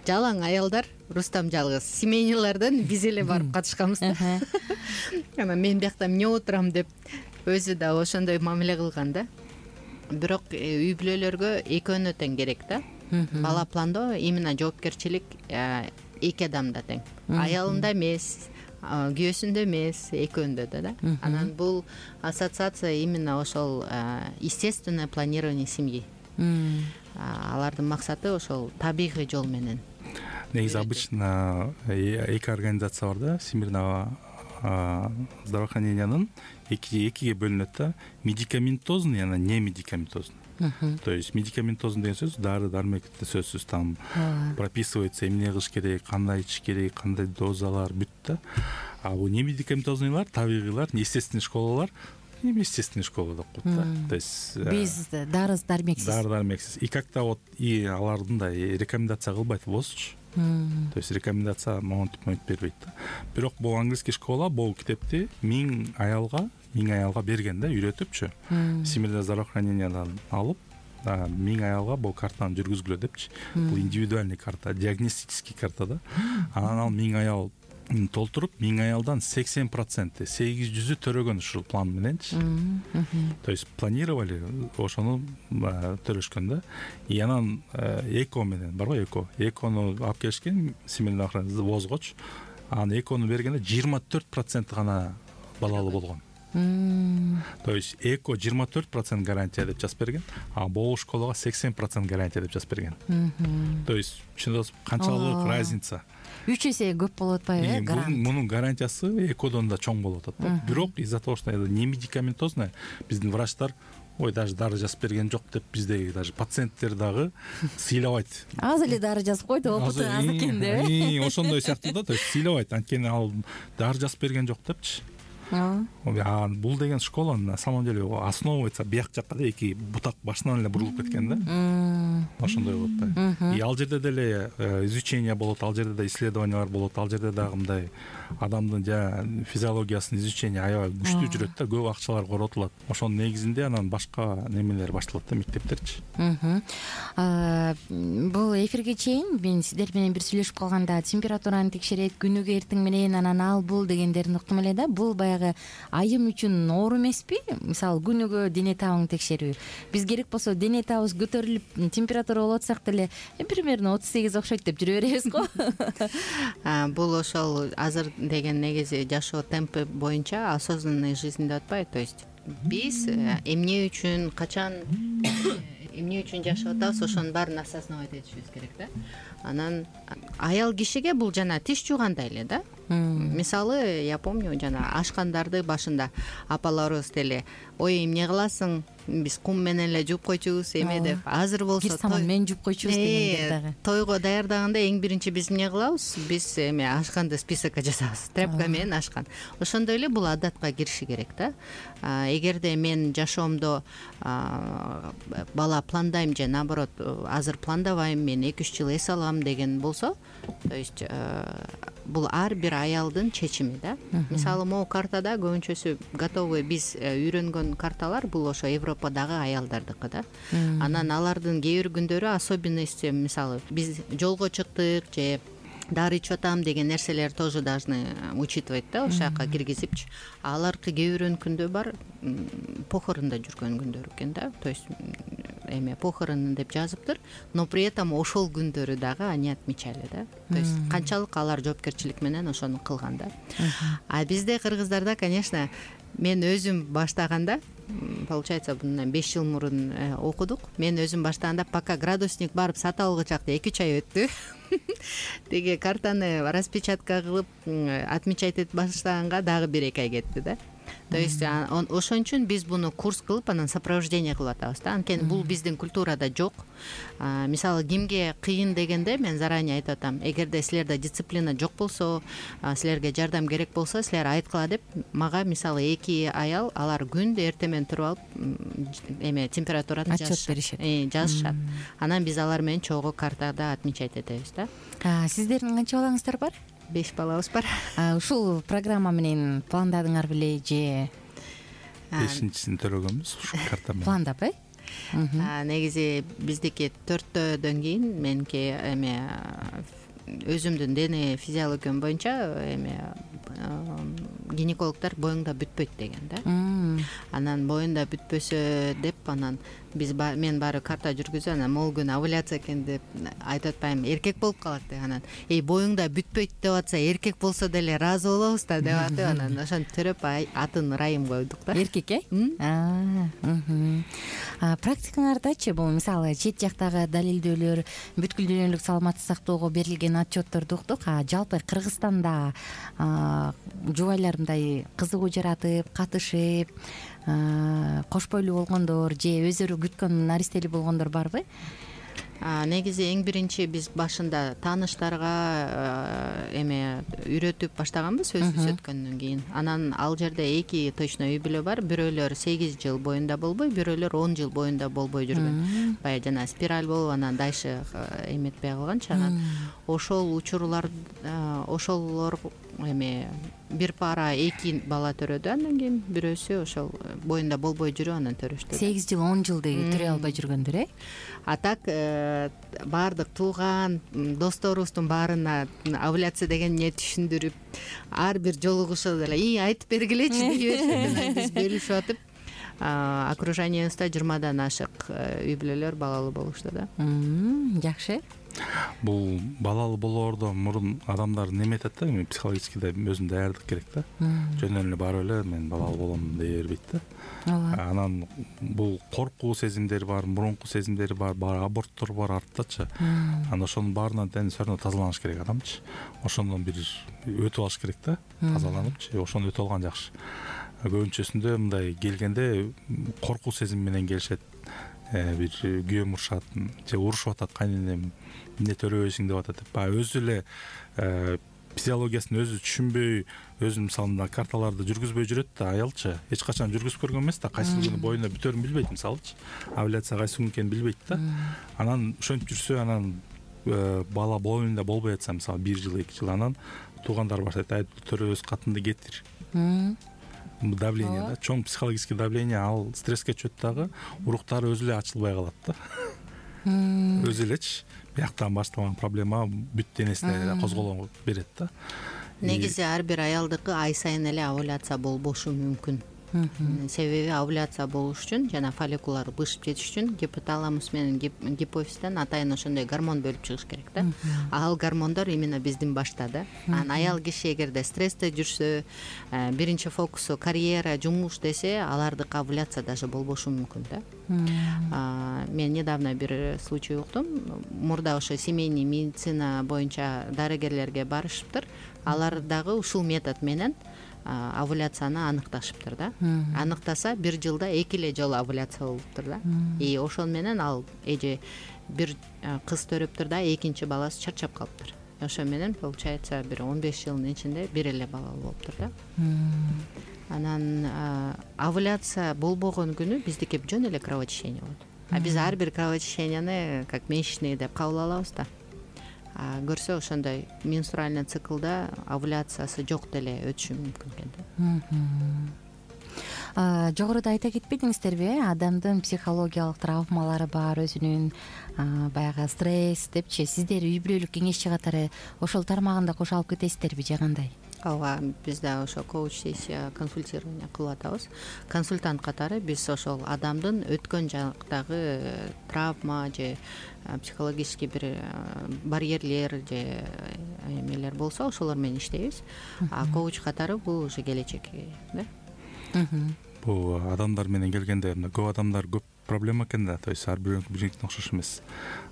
Speaker 5: жалаң аялдар, Рустам жалгыз, семейныйлардан биз эле барып катышканбыз да. Анан мен биякта эмне отурам деп өзү да ошондой мамиле кылган да. Бирок үй бүлөлөргө экөөнө тең керек да. Бала пландоо именно жоопкерчилик эки адамда тең. Аялында эмес, күйөөсүндө эмес, экөөндө да. Анан бул ассоциация именно ошол естественное планирование семьи. Алардын максаты ошол табигый жол менен.
Speaker 4: Негизи обычно эки организация бар да, Всемирного здравоохранениянын экиге бөлүнөт да, медикаментозный жана не медикаментозный. То есть медикаментозный деген сөз дары дармекте сөзсүз, там прописывается эмне кылыш керек, кандай ичиш керек, кандай дозалар бүт да. А бул не медикаментозныйлар, табигыйлар, естественный школалар естественный школа деп коет да. То есть
Speaker 2: биз дары дармексиз.
Speaker 4: Дары дармексиз. И как-то вот и алардын да рекомендация кылбайт болсучу. То есть рекомендация монтип монтип бербейт да. Бирок бул английский школа бул китепти миң аялга, миң аялга берген да, үйрөтүпчү. Всемирное здравоохранениядан алып, миң аялга бул картаны жүргүзгүлө депчи. Бул индивидуальный карта, диагностический карта да. Анан ал миң аял толтуруп, миң аялдан сексен проценти, сегиз жүзү төрөгөн ушул план мененчи. То есть планировали, ошону төрөшкөн да. И анан эко менен, барбы эко? Экону алып келишкен, семейный охрана возгоч. Анан экону бергенде жыйырма төрт процент гана балалы болгон. То есть эко жыйырма төрт процент гарантия деп жазып берген, а бул школага сексен процент гарантия деп жазып берген. То есть канчалык разница?
Speaker 2: үч эсе көп болуп атпайбы, э, гарант?
Speaker 4: Мунун гарантиясы экодон да чоң болуп атат да. Бирок из-за того, что не медикаментозная, биздин врачтар ой, даже дары жазып берген жок деп биздеги даже пациенттер дагы сыйлабайт.
Speaker 2: Аз эле дары жазып койду, опыту аз экен деп, э?
Speaker 4: Ошондой сыяктуу да, то есть сыйлабайт, анткени ал дары жазып берген жок депчи. А бул деген школа на самом деле основывается бияк жакка да, эки бутак башынан эле бурулуп кеткен да. Ошондой болот да. И ал жерде деле изучение болот, ал жерде да исследованиялар болот, ал жерде дагы мындай адамдын жа физиологиясын изучение аябай күчтүү жүрөт да, көп акчалар коротулат. Ошонун негизинде анан башка немелер башталат да, мектептерчи.
Speaker 2: Бул эфирге чейин мен сиздер менен бир сүйлөшүп калганда температураны текшерет, күнүгө эртең менен анан ал бул дегендерин уктум эле да. Бул баягы дагы айым үчүн оор эмеспи? Мисалы күнүгө дене табыңды текшерүү. Биз керек болсо дене табыбыз көтөрүлүп температура болуп атсак деле примерно отуз сегиз окшойт деп жүрө беребиз го.
Speaker 5: Бул ошол азыр деген негизи жашоо темпи боюнча осознанный жизнь деп атпайбы? То есть биз эмне үчүн качан эмне үчүн жашап атабыз, ошонун баарын осознавать этишибиз керек да. Анан аял кишиге бул жана тиш жуугандай эле да. Мисалы, я помню, жана ашкандарды башында апаларыбыз деле ой эмне кыласың, биз кум менен эле жууп койчубуз эме деп. Азыр болсо
Speaker 2: кир саман менен жууп койчубуз дегендер дагы.
Speaker 5: Тойго даярдаганда эң биринчи биз эмне кылабыз? Биз эме ашканды списокко жазабыз, тряпка менен ашкан. Ошондой эле бул адатка кириши керек да. Эгерде мен жашоомдо бала пландайм же наоборот азыр пландабайм, мен эки үч жыл эс алам деген болсо, то есть бул ар бир аялдын чечими да. Мисалы, могу картада көбүнчөсү готовый биз үйрөнгөн карталар бул ошо Европадагы аялдардыкы да. Анан алардын кээ бир күндөрү особенности, мисалы, биз жолго чыктык же дары ичип атам деген нерселер тоже должны учитывать да, ошол жака киргизипчи. Аларкы кээ бирөөнүн күндө бар похорондо жүргөн күндөр экен да. То есть эме похорон деп жазыптыр, но при этом ошол күндөрү дагы они отмечали да. То есть канчалык алар жоопкерчилик менен ошону кылган да. А бизде кыргыздарда, конечно, мен өзүм баштаганда, получается, bundan беш жыл мурун окудук. Мен өзүм баштаганда пока градусник барып сатып алгычакта эки үч ай өттү. Теге картаны распечатка кылып отмечать этип баштаганга дагы бир эки ай кетти да. То есть ошон үчүн биз буну курс кылып анан сопровождение кылып атабыз да. Анткени бул биздин культурада жок. Мисалы, кимге кыйын дегенде мен заранее айтып атам, эгерде силерде дисциплина жок болсо, силерге жардам керек болсо, силер айткыла деп мага мисалы эки аял алар күндө эртең менен туруп алып эме температураны
Speaker 2: отчет беришет.
Speaker 5: Жазышат. Анан биз алар менен чогуу картада отмечать этебиз да.
Speaker 2: Сиздердин канча балаңыздар бар?
Speaker 5: Беш балабыз бар.
Speaker 2: Ушул программа менен пландадыңар беле же
Speaker 4: бешинчисин төрөгөнбүз ушу карта менен?
Speaker 2: Пландап, э?
Speaker 5: Негизи биздики төрттөдөн кийин меники эме өзүмдүн дене физиологиям боюнча эме гинекологдор боюңда бүтпөйт деген да. Анан боюнда бүтпөсө деп анан биз мен баары карта жүргүзүп, анан могул күн овуляция экен деп айтып атпайм, эркек болуп калат деп. Анан эй боюңда бүтпөйт деп атса, эркек болсо деле ыраазы болобуз да деп атып, анан ошентип төрөп атын Райым койдук да.
Speaker 2: Эркек, э? Практикаңардачы бул мисалы чет жактагы далилдөөлөр, бүткүл дүйнөлүк саламаттык сактоого берилген отчетторду уктук, а жалпы Кыргызстанда жубайлар мындай кызыгуу жаратып, катышып, кош бойлуу болгондор же өздөрү күткөн наристелүү болгондор барбы?
Speaker 5: Негизи эң биринчи биз башында тааныштарга эме үйрөтүп баштаганбыз өзүбүз өткөндөн кийин. Анан ал жерде эки точно үй бүлө бар. Бирөөлөр сегиз жыл боюнда болбой, бирөөлөр он жыл боюнда болбой жүргөн. Баягы жана спираль болуп, анан дальше эметпей калганчы. Анан ошол учурлар, ошолор эме бир пара эки бала төрөдү, андан кийин бирөөсү ошол боюнда болбой жүрүп анан төрөштү.
Speaker 2: сегиз жыл он жыл деги төрөй албай жүргөндөр, э?
Speaker 5: А так баардык тууган досторубуздун баарына овуляция деген эмне түшүндүрүп, ар бир жолугушуу деле «И, айтып бергилечи» дей беришет. Биз бөлүшүп атып, окружениябызда жыйырмадан ашык үй бүлөлөр балалуу болушту да.
Speaker 2: Жакшы.
Speaker 4: Бул балалуу болоордон мурун адамдар неметет да, психологически да өзүн даярдык керек да. Жөн эле барып эле мен балалуу болом дей бербейт да. Анан бул коркуу сезимдери бар, мурунку сезимдери бар, бар аборттор бар арттачы. Анан ошонун баарынан тең все равно тазаланыш керек адамчы. Ошондон бир өтүп алыш керек да, тазаланыпчы. Ошону өтүп алган жакшы. Көбүнчөсүндө мындай келгенде коркуу сезим менен келишет. Бир күйөөм урушат же урушуп атат, кайненем эмне төрөбөйсүң деп атат деп. Баягы өзү эле физиологиясын өзү түшүнбөй, өзү мисалы мына карталарды жүргүзбөй жүрөт да аялчы. Эч качан жүргүзүп көргөн эмес да, кайсы күнү боюнда бүтөрүн билбейт мисалычы. Овуляция кайсы күн экенин билбейт да. Анан ошентип жүрсө, анан бала боюнда болбой атса, мисалы бир жыл, эки жыл, анан туугандар барса айтат, төрөбөз катынды кетир. Давление да, чоң психологический давление, ал стресске чөт дагы, уруктары өзү эле ачылбай калат да. Өзү элечи бияктан башталган проблема бүт денесине козголоң берет да.
Speaker 5: негизи ар бир аялдыкы ай сайын эле овуляция болбошу мүмкүн. Себеби овуляция болуш үчүн жана фолликулар бышып жетиш үчүн гипоталамус менен гипофизден атайын ошондой гормон бөлүп чыгыш керек да. Ал гормондор именно биздин башта да. Анан аял киши эгерде стрессте жүрсө, биринчи фокусу карьера, жумуш десе, алардыкы овуляция даже болбошу мүмкүн да. Мен недавно бир случай уктум. Мурда ошо семейный медицина боюнча дарыгерлерге барышыптыр. Алар дагы ушул метод менен овуляцияны аныкташыптыр да. Аныктаса бир жылда эки эле жолу овуляция болуптур да. И ошол менен ал эже бир кыз төрөптүр да, экинчи баласы чарчап калыптыр. Ошо менен получается бир он беш жылдын ичинде бир эле балалуу болуптур да. Анан овуляция болбогон күнү биздики жөн эле кровотечение болот. А биз ар бир кровотеченияны как месячный деп кабыл алабыз да. Көрсө ошондой менструальный циклда овуляциясы жок деле өтүшү мүмкүн экен
Speaker 2: да. Жогоруда айта кетпедиңиздерби, э адамдын психологиялык травмалары бар, өзүнүн баягы стресс депчи. Сиздер үй бүлөлүк кеңешчи катары ошол тармагында кошо алып кетесиздерби же кандай?
Speaker 5: Ооба, биз да ошо коуч сессия консультирование кылып атабыз. Консультант катары биз ошол адамдын өткөн жактагы травма же психологический бир барьерлер же эмелер болсо ошолор менен иштейбиз. А коуч катары бул уже келечек да.
Speaker 4: Бул адамдар менен келгенде көп адамдар көп проблема экен да. То есть ар бирөөнүкү биринкине окшош эмес.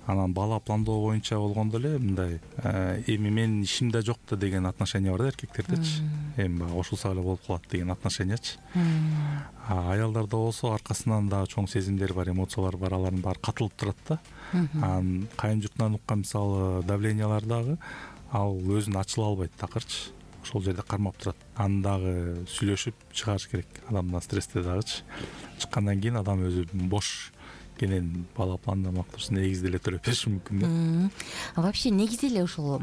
Speaker 4: Анан бала пландоо боюнча болгондо эле мындай эми менин ишимде жок да деген отношение бар да эркектердечи. Эми баягы ошолсо эле болуп калат деген отношениячы. А аялдарда болсо аркасынан дагы чоң сезимдер бар, эмоциялар бар, алардын баары катылып турат да. Анан кайын журтунан уккан мисалы давлениялар дагы ал өзүн ачыла албайт такырчы. Ошол жерде кармап турат. Аны дагы сүйлөшүп чыгарыш керек. Адамдан стрессте дагычы. Чыккандан кийин адам өзү бош кенен бала пландамак турсун, негизде эле төрөп бериши мүмкүн да.
Speaker 2: Вообще негизи эле ушул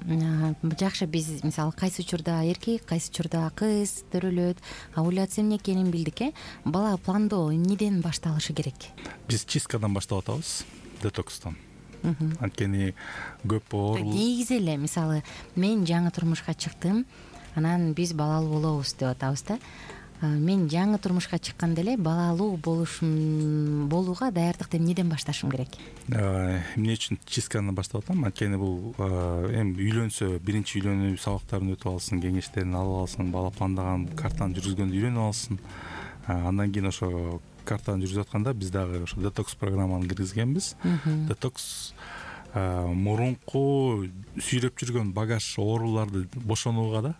Speaker 2: жакшы биз мисалы кайсы учурда эркек, кайсы учурда кыз төрөлөт, овуляция эмне экенин билдик, э. Бала пландоо эмнеден башталышы керек?
Speaker 4: Биз чисткадан баштап атабыз, детокстан. Анткени көп оору.
Speaker 2: Негизи эле мисалы мен жаңы турмушка чыктым, анан биз балалуу болобуз деп атабыз да. Мен жаңы турмушка чыкканда эле балалуу болушум болууга даярдыкты эмнеден башташым керек?
Speaker 4: Эмне үчүн чистканы баштап атам? Анткени бул эми үйлөнсө биринчи үйлөнүү сабактарын өтүп алсын, кеңештерин алып алсын, бала пландаган картаны жүргүзгөндө үйрөнүп алсын. Андан кийин ошо картаны жүргүзүп атканда биз дагы ошо детокс программаны киргизгенбиз. Детокс мурунку сүйрөп жүргөн багаж ооруларды бошонууга да.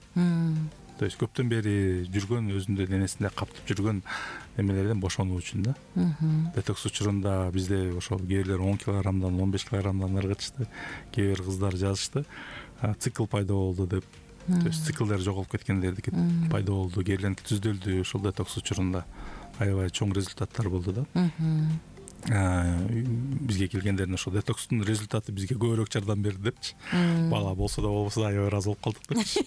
Speaker 4: То есть көптөн бери жүргөн, өзүндө денесинде каптып жүргөн эмелерден бошонуу үчүн да. Детокс учурунда бизде ошол кээ бирлер он килограммдан он беш килограммдан ыргытышты. Кээ бир кыздар жазышты, цикл пайда болду деп. То есть циклдер жоголуп кеткендердики пайда болду, кээ бирлеринки түздөлдү ошол детокс учурунда. Аябай чоң результаттар болду да. Бизге келгендердин ошо детокстун результаты бизге көбүрөөк жардам берди депчи. Бала болсо да болбосо да аябай ыраазы болуп калдык депчи.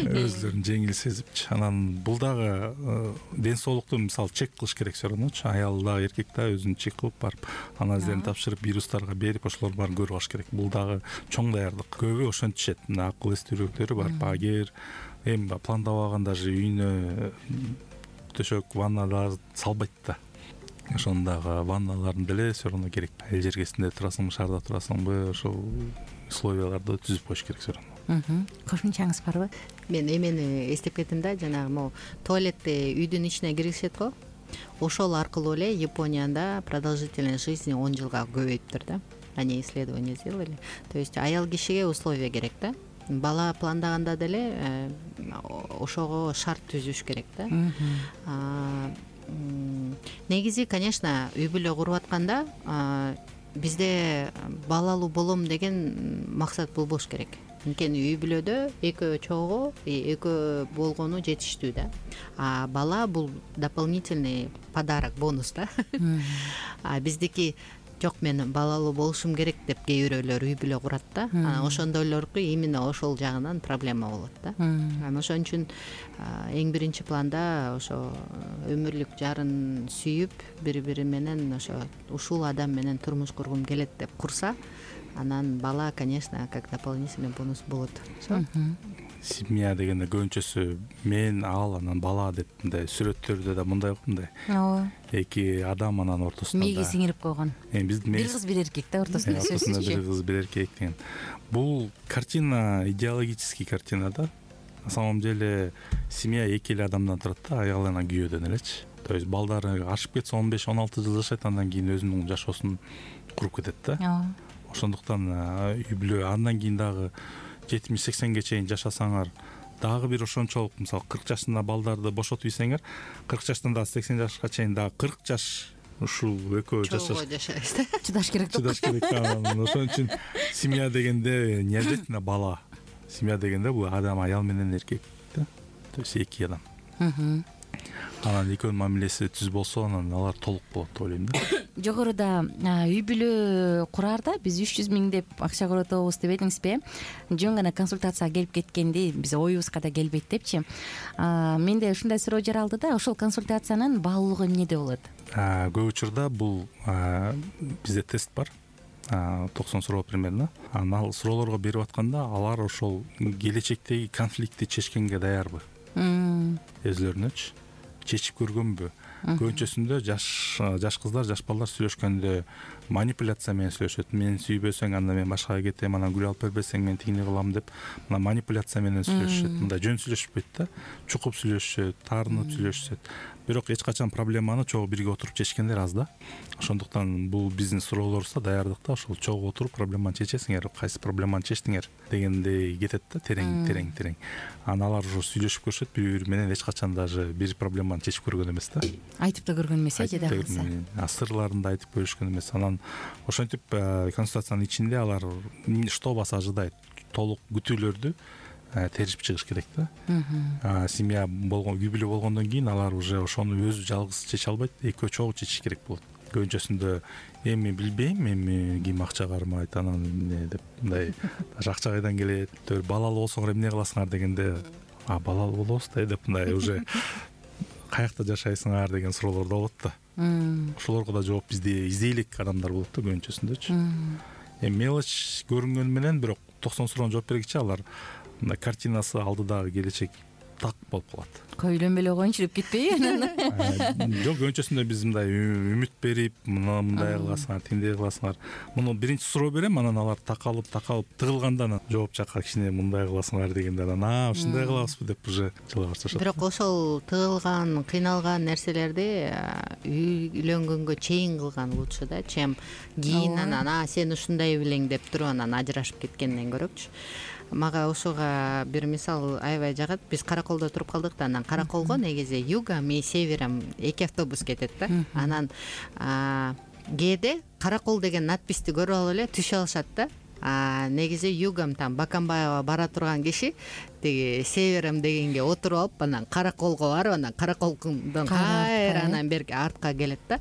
Speaker 4: Өзлөрүн жеңил сезипчи. Анан бул дагы ден соолукту мисалы чек кылыш керек все равно. Аял да, эркек да өзүн чек кылып барып, анализдерин тапшырып, вирустарга берип, ошолор баарын көрүп алыш керек. Бул дагы чоң даярдык. Көбү ошентишет. Мына акыл эстүүрөөктөрү барып, агер эми пландабаган даже үйүнө төшөк, ванналар салбайт да. Ошондагы ванналарын деле все равно керек. Эл жергесинде турасыңбы, шаарда турасыңбы, ошол условияларды түзүп коюш керек все равно.
Speaker 2: Кошумчаңыз барбы?
Speaker 5: Мен эмени эстеп кеттим да, жанагы могу туалетте үйдүн ичине киргизишет го. Ошол аркылуу эле Японияда продолжительность жизни он жылга көбөйүптүр да. Они исследования сделали. То есть аял кишиге условия керек да. Бала пландаганда деле ошого шарт түзүш керек да. Негизи, конечно, үй бүлө куруп атканда бизде балалуу болом деген максат болбош керек. Анткени үй бүлөдө экөө чогуу, экөө болгону жетиштүү да. А бала бул дополнительный подарок, бонус да. А биздики жок, мен балалуу болушум керек деп кээ бирөөлөр үй бүлө курат да. Ошондойлорго именно ошол жагынан проблема болот да. Анан ошон үчүн эң биринчи планда ошо өмүрлүк жарын сүйүп, бири-бири менен ошо ушул адам менен турмуш кургум келет деп курса, анан бала, конечно, как дополнительный бонус болот.
Speaker 4: семья дегенде көбүнчөсү мен ал анан бала деп мындай сүрөттөрдө да мындай го мындай
Speaker 2: ооба
Speaker 4: эки адам анан ортосунда
Speaker 2: мээге сиңирип койгон
Speaker 4: эми биздин
Speaker 2: бир кыз бир эркек да ортосунда
Speaker 4: ортосунда бир кыз бир эркек деген бул картина идеологический картина да. На самом деле семья эки эле адамдан турат да, аял жана күйөөдөн элечи. То есть балдары ашып кетсе он беш он алты жыл жашайт, андан кийин өзүнүн жашоосун куруп кетет да.
Speaker 2: ооба
Speaker 4: Ошондуктан үй бүлө андан кийин дагы жетимиш сексенге чейин жашасаңар дагы бир ошончолук, мисалы кырк жашында балдарды бошотуп ийсеңер, кырк жаштан дагы сексен жашка чейин дагы кырк жаш ушул экөө жашаш
Speaker 5: жашайбыз да.
Speaker 2: чыдаш керек да.
Speaker 4: чыдаш керек. Ошон үчүн семья дегенде не обязательно бала. Семья дегенде бул адам аял менен эркек да. То есть эки адам. Анан экөөнүн мамилеси түз болсо, анан алар толук болот деп ойлойм да.
Speaker 2: Жогоруда үй бүлө кураарда биз үч жүз миң деп акча коротобуз деп элиңизби? Жөн гана консультацияга келип кеткенди биз оюбузга да келбейт депчи. Менде ушундай суроо жаралды да, ошол консультациянын баалуулугу эмнеде болот?
Speaker 4: Көп учурда бул бизде тест бар. токсон суроо примерно. Анан ал суроолорго берип атканда алар ошол келечектеги конфликтти чечкенге даярбы? Өзлөрүнөчү чечип көргөнбү? Көбүнчөсүндө жаш жаш кыздар, жаш балдар сүйлөшкөндө манипуляция менен сүйлөшөт. Мен сүйбөсөң анда мен башкага кетем, анан гүл алып бербесең мен тигини кылам деп мына манипуляция менен сүйлөшөт. Мындай жөн сүйлөшпөйт да. Чукуп сүйлөшөт, таарынып сүйлөшөт. Бирок эч качан проблеманы чогуу бирге отуруп чечкендер аз да. Ошондуктан бул биздин суроолорубузда даярдыкта ошол чогуу отуруп проблеманы чечесиңер, кайсы проблеманы чечтиңер дегендей кетет да, терең терең терең. Анан алар уже сүйлөшүп көрүшөт, бири-бири менен эч качан даже бир проблеманы чечип көргөн эмес да.
Speaker 2: Айтып да көргөн эмес э, жада калса.
Speaker 4: Сырларын да айтып көрүшкөн эмес. Анан ошентип консультациянын ичинде алар что вас ожидает, толук күтүүлөрдү теришип чыгыш керек да. Семья болгон, үй бүлө болгондон кийин алар уже ошону өзү жалгыз чече албайт, экөө чогуу чечиш керек болот. Көбүнчөсүндө эми билбейм, эми ким акча кармайт, анан эмне деп мындай даже акча кайдан келет, балалуу болсоңор эмне кыласыңар дегенде, а балалуу болобуз да деп мындай уже каякта жашайсыңар деген суроолор да болот да. Ошолорго да жооп бизде издей элек адамдар болот да көбүнчөсүндөчү. Эми мелочь көрүнгөнү менен бирок токсон суроону жооп бергиче алар мындай картинасы алдыдагы келечек так болуп калат.
Speaker 2: Көйлөнбөй эле коеюнчу деп кетпейби анан?
Speaker 4: Жок, көбүнчөсүндө биз мындай үмүт берип, мына мындай кыласыңар, тиндей кыласыңар. Муну биринчи суроо берем, анан алар такалып, такалып тыгылганда анан жооп жакка кичине мындай кыласыңар дегенде анан а, ушундай кылабызбы деп уже жылга башташат.
Speaker 5: Бирок ошол тыгылган, кыйналган нерселерди үйлөнгөнгө чейин кылган лучше да, чем кийин анан а сен ушундай белең деп туруп анан ажырашып кеткенден көрөкчү. Мага ошого бир мисал аябай жагат. Биз Караколдо туруп калдык да, анан Караколго негизи югам и северам эки автобус кетет да. Анан кээде Каракол деген надписти көрүп алып эле түшүп алышат да. Негизи югам там Баканбаева бара турган киши тиги северам дегенге отуруп алып, анан Караколго барып, анан Караколдон кайра анан берки артка келет да.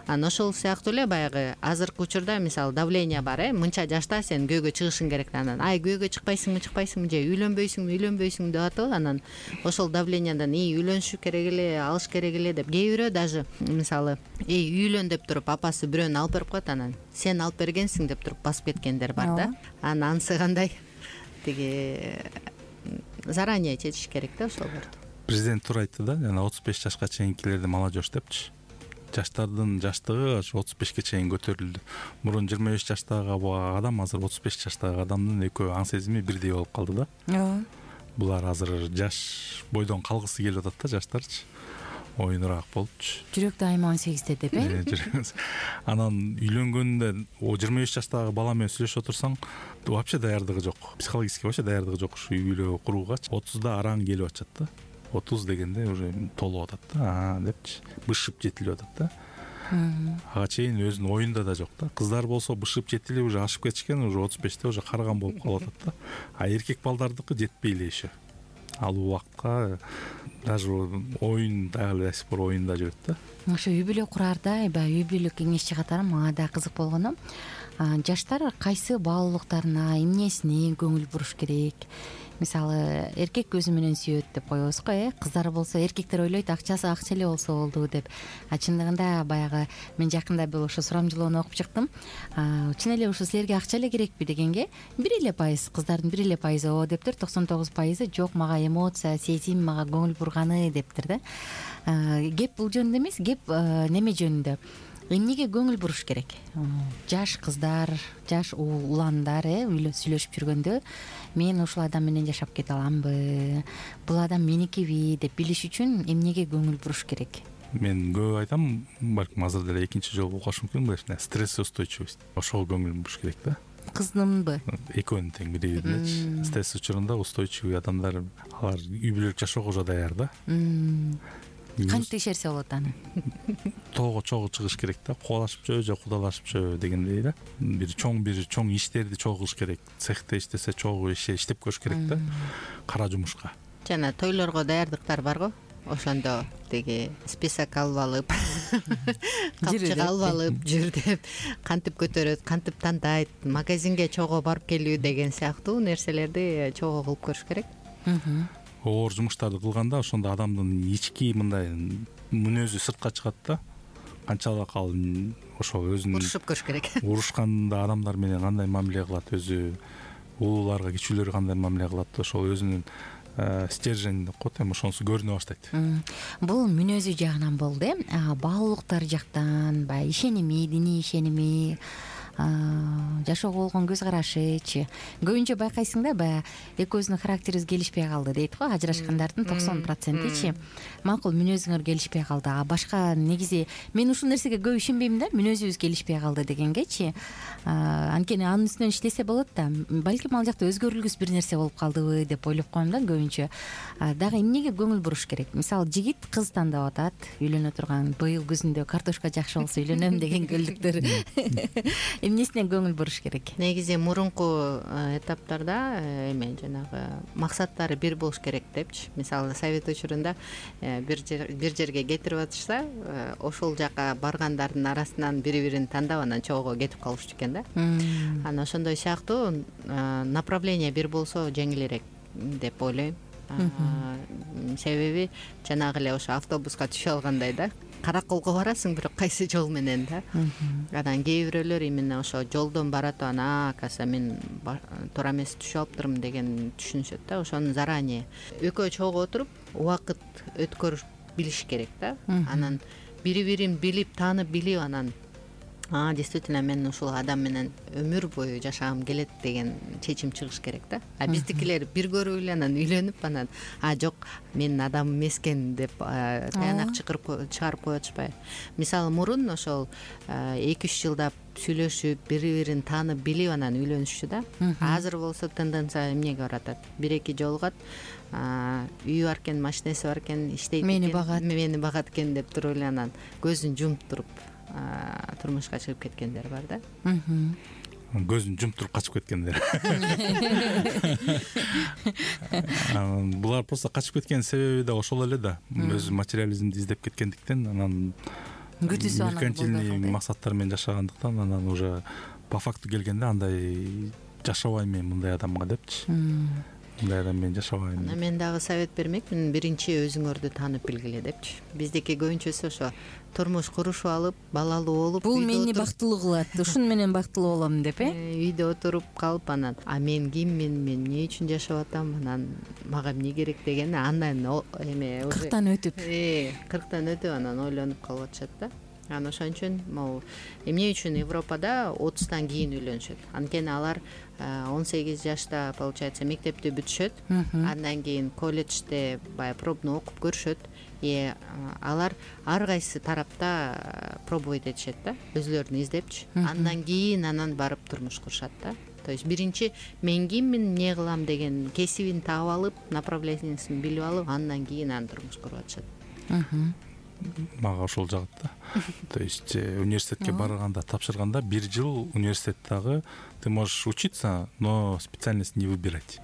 Speaker 5: Анан ошол сыяктуу эле баягы азыркы учурда мисалы давление бар, э, мынча жашта сен көйгө чыгышың керек да. Анан ай күйөөгө чыкпайсыңбы, чыкпайсыңбы, же үйлөнбөйсүңбү, үйлөнбөйсүңбү деп атып, анан ошол давленияден ий үйлөнүш керек эле, алыш керек эле деп кээ бирөө даже мисалы эй үйлөн деп туруп апасы бирөөнү алып берип коет, анан сен алып бергенсиң деп туруп басып кеткендер бар да. Анан анысы кандай тиги заранее чечиш керек да ошолорду.
Speaker 4: Президент туура айтты да, жана отуз беш жашка чейинкилерди молодежь депчи. Жаштардын жаштыгы ошо отуз бешке чейин көтөрүлдү. Мурун жыйырма беш жаштагы адам азыр отуз беш жаштагы адамдын экөө аң сезими бирдей болуп калды да. Ооба. Булар азыр жаш бойдон калгысы келип атат да, жаштарчы. Оюнураак болупчу.
Speaker 2: Жүрөк дайыма он сегизде деп э?
Speaker 4: Анан үйлөнгөндө жыйырма беш жаштагы бала менен сүйлөшүп отурсаң, вообще даярдыгы жок. Психологически вообще даярдыгы жок ушу үй бүлө куруугачы. отузда араң келип атат да. отуз дегенде уже толуп атат да, а депчи. Бышып жетилип атат да. Ага чейин өзүнүн оюнда да жок да. Кыздар болсо бышып жетилип уже ашып кетишкен, уже отуз беште уже карган болуп калып атат да. А эркек балдардыкы жетпей эле еще. Ал убакытка даже оюн дагы эле до сих пор оюнда жүрөт да.
Speaker 2: ошо үй бүлө кураарда баягы үй бүлөлүк кеңешчи катары мага да кызык болгону жаштар кайсы баалуулуктарына, эмнесине көңүл буруш керек. Мисалы эркек көзү менен сүйөт деп коебуз го, э кыздар болсо эркектер ойлойт акчасы акча эле болсо болду деп. А чындыгында баягы мен жакында бул ошо сурамжылоону окуп чыктым. Чын эле ушу силерге акча эле керекпи дегенге бир эле пайыз кыздардын бир эле пайызы ооба дептир, токсон тогуз пайызы жок, мага эмоция, сезим, мага көңүл бурганы дептир да. Кеп бул жөнүндө эмес, кеп неме жөнүндө. Эмнеге көңүл буруш керек? Жаш кыздар, жаш уландар э сүйлөшүп жүргөндө мен ушул адам менен жашап кете аламбы, бул адам меникиби деп билиш үчүн эмнеге көңүл буруш керек?
Speaker 4: Мен көп айтам, балким азыр деле экинчи жолу окуш мүмкүн, мына стрессоустойчивость. Ошого көңүл буруш керек да.
Speaker 2: Кыздынбы?
Speaker 4: Экөөнүн тең бири биринечи. Стресс учурунда устойчивый адамдар, алар үй бүлөлүк жашоого уже даяр да.
Speaker 2: Кантип текшерсе болот аны?
Speaker 4: Тоого чогуу чыгыш керек да, кубалашыпчы же кудалашыпчы дегендей да. Бир чоң бир чоң иштерди чогуу кылыш керек. Цехте иштесе чогуу иште иштеп көрүш керек да. Кара жумушка.
Speaker 5: Жана тойлорго даярдыктар барго? Ошондо деги список алып алып, капчык алып алып жүр деп, кантип көтөрөт, кантип тандайт, магазинге чогуу барып келүү деген сыяктуу нерселерди чогуу кылып көрүш керек.
Speaker 4: Оор жумуштарды кылганда ошондо адамдын ички мындай мүнөзү сыртка чыгат да. Канчалык ал ошо өзүнүн
Speaker 5: урушуп көрүш керек.
Speaker 4: Урушканда адамдар менен кандай мамиле кылат, өзү улууларга, кичүүлөргө кандай мамиле кылат, ошол өзүнүн стержень деп коет, эми ошонусу көрүнө баштайт.
Speaker 2: Бул мүнөзү жагынан болду, э баалуулуктар жактан, баягы ишеними, диний ишеними, жашоого болгон көз карашычы. Көбүнчө байкайсың да, баягы экөөбүздүн характерибиз келишпей калды дейт го, ажырашкандардын токсон процентичи макул мүнөзүңөр келишпей калды. А башка негизи мен ушул нерсеге көп ишенбейм да, мүнөзүбүз келишпей калды дегенгечи. Анткени анын үстүнөн иштесе болот да. Балким ал жакта өзгөрүлгүс бир нерсе болуп калдыбы деп ойлоп коем да көбүнчө. Дагы эмнеге көңүл буруш керек? Мисалы жигит кыз тандап атат, үйлөнө турган, быйыл күзүндө картошка жакшы болсо үйлөнөм деген көлдүктөр. Эмнесине көңүл буруш керек?
Speaker 5: Негизи мурунку этаптарда эме жанагы максаттары бир болуш керек депчи. Мисалы совет учурунда бир бир жерге кетирип атышса, ошол жака баргандардын арасынан бири-бирин тандап анан чогуу кетип калышчу экен да. Анан ошондой сыяктуу направление бир болсо жеңилирээк деп ойлойм. Себеби жанагы эле ошо автобуска түшө алгандай да. Караколго барасың, бирок кайсы жол менен да. Анан кээ бирөөлөр именно ошо жолдон баратып анан акаса мен туура эмес түшүп алыптырмын деген түшүнүшөт да. Ошону заранее экөө чогуу отуруп убакыт өткөрүп билиш керек да. Анан бири-бирин билип, таанып, билип анан а действительно мен ушул адам менен өмүр бою жашагым келет деген чечим чыгыш керек да. А биздикилер бир көрүп эле анан үйлөнүп анан а жок менин адамым эмес экен деп таянак чыгарып чыгарып коюп атышпайбы. Мисалы мурун ошол эки үч жылдап сүйлөшүп, бири-бирин таанып, билип анан үйлөнүшчү да. Азыр болсо тенденция эмнеге баратат? бир-эки жолугат, үйү бар экен, машинеси бар экен, иштейт экен, мени багат, мени багат экен деп туруп эле анан көзүн жумуп туруп турмушка чыгып кеткендер бар да.
Speaker 4: Көзүн жумуп туруп качып кеткендер. Булар просто качып кеткен себеби да ошол эле да. Өзү материализмди издеп кеткендиктен, анан
Speaker 2: күтүүсү анан
Speaker 4: меркантильный максаттар менен жашагандыктан, анан уже по факту келгенде андай жашабайм мен мындай адамга депчи. Мындай адам менен жашабайм.
Speaker 5: Анан мен дагы совет бермекмин, биринчи өзүңөрдү таанып билгиле депчи. Биздики көбүнчөсү ошо турмуш курушуп алып, балалуу болуп,
Speaker 2: бул мени бактылуу кылат, ушун менен бактылуу болом деп, э?
Speaker 5: Үйдө отуруп калып анан а мен киммин, мен эмне үчүн жашап атам, анан мага эмне керек деген андан эме
Speaker 2: кырктан өтүп,
Speaker 5: э, кырктан өтүп анан ойлонуп калып атышат да. Анан ошон үчүн могу эмне үчүн Европада отуздан кийин үйлөнүшөт. Анткени алар он сегиз жашта получается мектепти бүтүшөт, андан кийин колледжде баягы пробный окуп көрүшөт. И алар ар кайсы тарапта пробовать этишет да, өзүлөрүн издепчи. Андан кийин анан барып турмуш курушат да. То есть биринчи мен киммин, эмне кылам деген кесибин таап алып, направлениесин билип алып, андан кийин анан турмуш куруп атышат.
Speaker 4: Мага ошол жагат да. То есть университетке барганда, тапшырганда бир жыл университеттагы ты можешь учиться, но специальность не выбирать.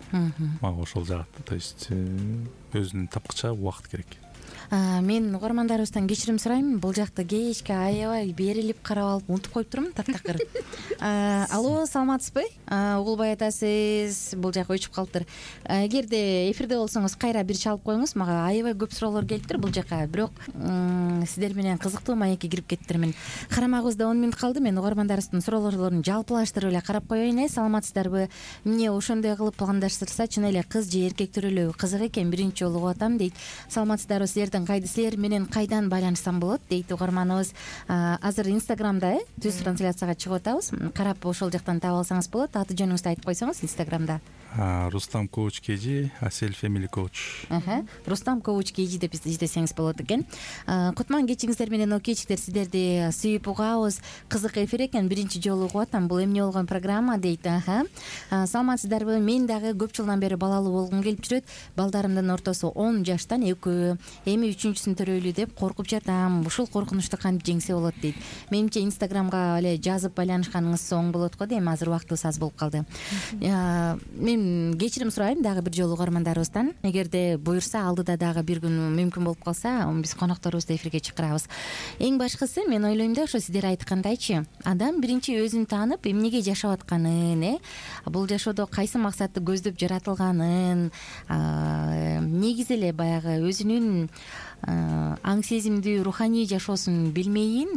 Speaker 4: Мага ошол жагат. То есть өзүнүн тапкыча убакыт керек.
Speaker 2: Мен угармандарыбыздан кечирим сурайм, бул жакта кечке аябай берилип карап алып унутуп коюп турмун таптакыр. Алло, саламатсызбы? Угулбай атасыз, бул жак өчүп калыптыр. Эгерде эфирде болсоңуз кайра бир чалып коюңуз, мага аябай көп суроолор келиптир бул жака, бирок сиздер менен кызыктуу маекке кирип кеттирмин. Карамагыбызда он мүнөт калды, мен угармандарыбыздын суроолорун жалпылаштырып эле карап коеюн. Э, саламатсыздарбы? Эмне ошондой кылып пландаштырса, чын эле кыз же эркек төрөлүү кызык экен, биринчи жолу угуп атам дейт. Саламатсыздарбы, силердин кайда, силер менен кайдан байланышсам болот дейт угарманыбыз. Азыр Инстаграмда э түз трансляцияга чыгып атабыз. Карап ошол жактан таап алсаңыз болот. Аты жөнүңүздү айтып койсоңуз Инстаграмда.
Speaker 4: Рустам Коуч Кежи, Асель Family Coach.
Speaker 2: Рустам Коуч Кежи деп издесеңиз болот экен. Кутман кечиңиздер менен окейчиктер, сиздерди сүйүп угабыз. Кызык эфир экен, биринчи жолу угуп атам. Бул эмне болгон программа дейт. Саламатсыздарбы? Мен дагы көп жылдан бери балалуу болгум келип жүрөт. Балдарымдын ортосу он жаштан экөө, эми үчүнчүсүн төрөйлү деп коркуп жатам. Ушул коркунучту кантип жеңсе болот дейт. Менимче Инстаграмга эле жазып байланышканыңыз оң болот го дейм. Азыр убактыбыз аз болуп калды. Мен кечирим сурайм дагы бир жолу угармандарыбыздан. Эгерде буюрса, алдыда дагы бир күн мүмкүн болуп калса, биз конокторубузду эфирге чакырабыз. Эң башкысы, мен ойлойм да, ошо сиздер айткандайчы, адам биринчи өзүн таанып, эмнеге жашап атканын, э, бул жашоодо кайсы максатты көздөп жаратылганын, негизи эле баягы өзүнүн аң сезимдүү руханий жашоосун билмейин,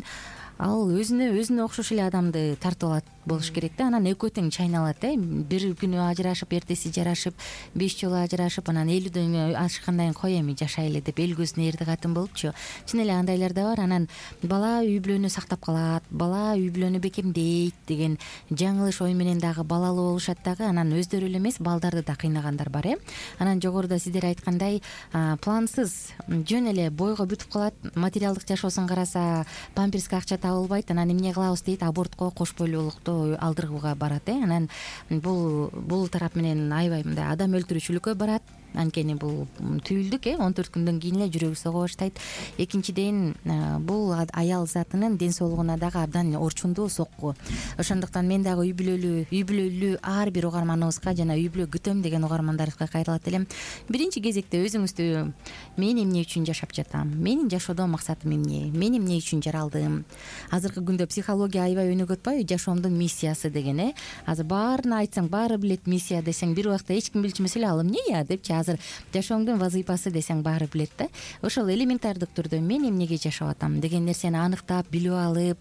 Speaker 2: ал өзүнө өзүнө окшош эле адамды тартып алат болуш керек да. Анан экөө тең чайналат, э. Бир күнү ажырашып, эртеси жарашып, беш жолу ажырашып, анан элүүдөн ашкандан кийин кой эми жашайлы деп эл көзүнө эрди катын болупчу. Чын эле андайлар да бар. Анан бала үй бүлөнү сактап калат, бала үй бүлөнү бекемдейт деген жаңылыш ой менен дагы балалуу болушат дагы. Анан өздөрү эле эмес, балдарды да кыйнагандар бар, э. Анан жогоруда сиздер айткандай, плансыз жөн эле бойго бүтүп калат, материалдык жашоосун караса, памперске акча табылбайт, анан эмне кылабыз дейт, абортко, кош бойлуулукту алдыргууга барат, э. Анан бул бул тарап менен аябай мындай адам өлтүрүүчүлүккө барат. Анткени бул түйүлдүк, э, он төрт күндөн кийин эле жүрөгү сого баштайт. Экинчиден, бул аял затынын ден соолугуна дагы абдан орчундуу сокку. Ошондуктан мен дагы үй бүлөлүү, үй бүлөлүү ар бир угарманыбызга жана үй бүлө күтөм деген угармандарыбызга кайрылат элем. Биринчи кезекте өзүңүздү, мен эмне үчүн жашап жатам? Менин жашоодо максатым эмне? Мен эмне үчүн жаралдым? Азыркы күндө психология аябай өнүгүп атпайбы? Жашоомдун миссиясы деген, э. Азыр баарына айтсаң, баары билет миссия десең, бир убакта эч ким билчү эмес эле, ал эмне я депчи. Азыр жашооңдун вазыйпасы десең баары билет да. Ошол элементардык түрдө мен эмнеге жашап атам деген нерсени аныктап, билип алып,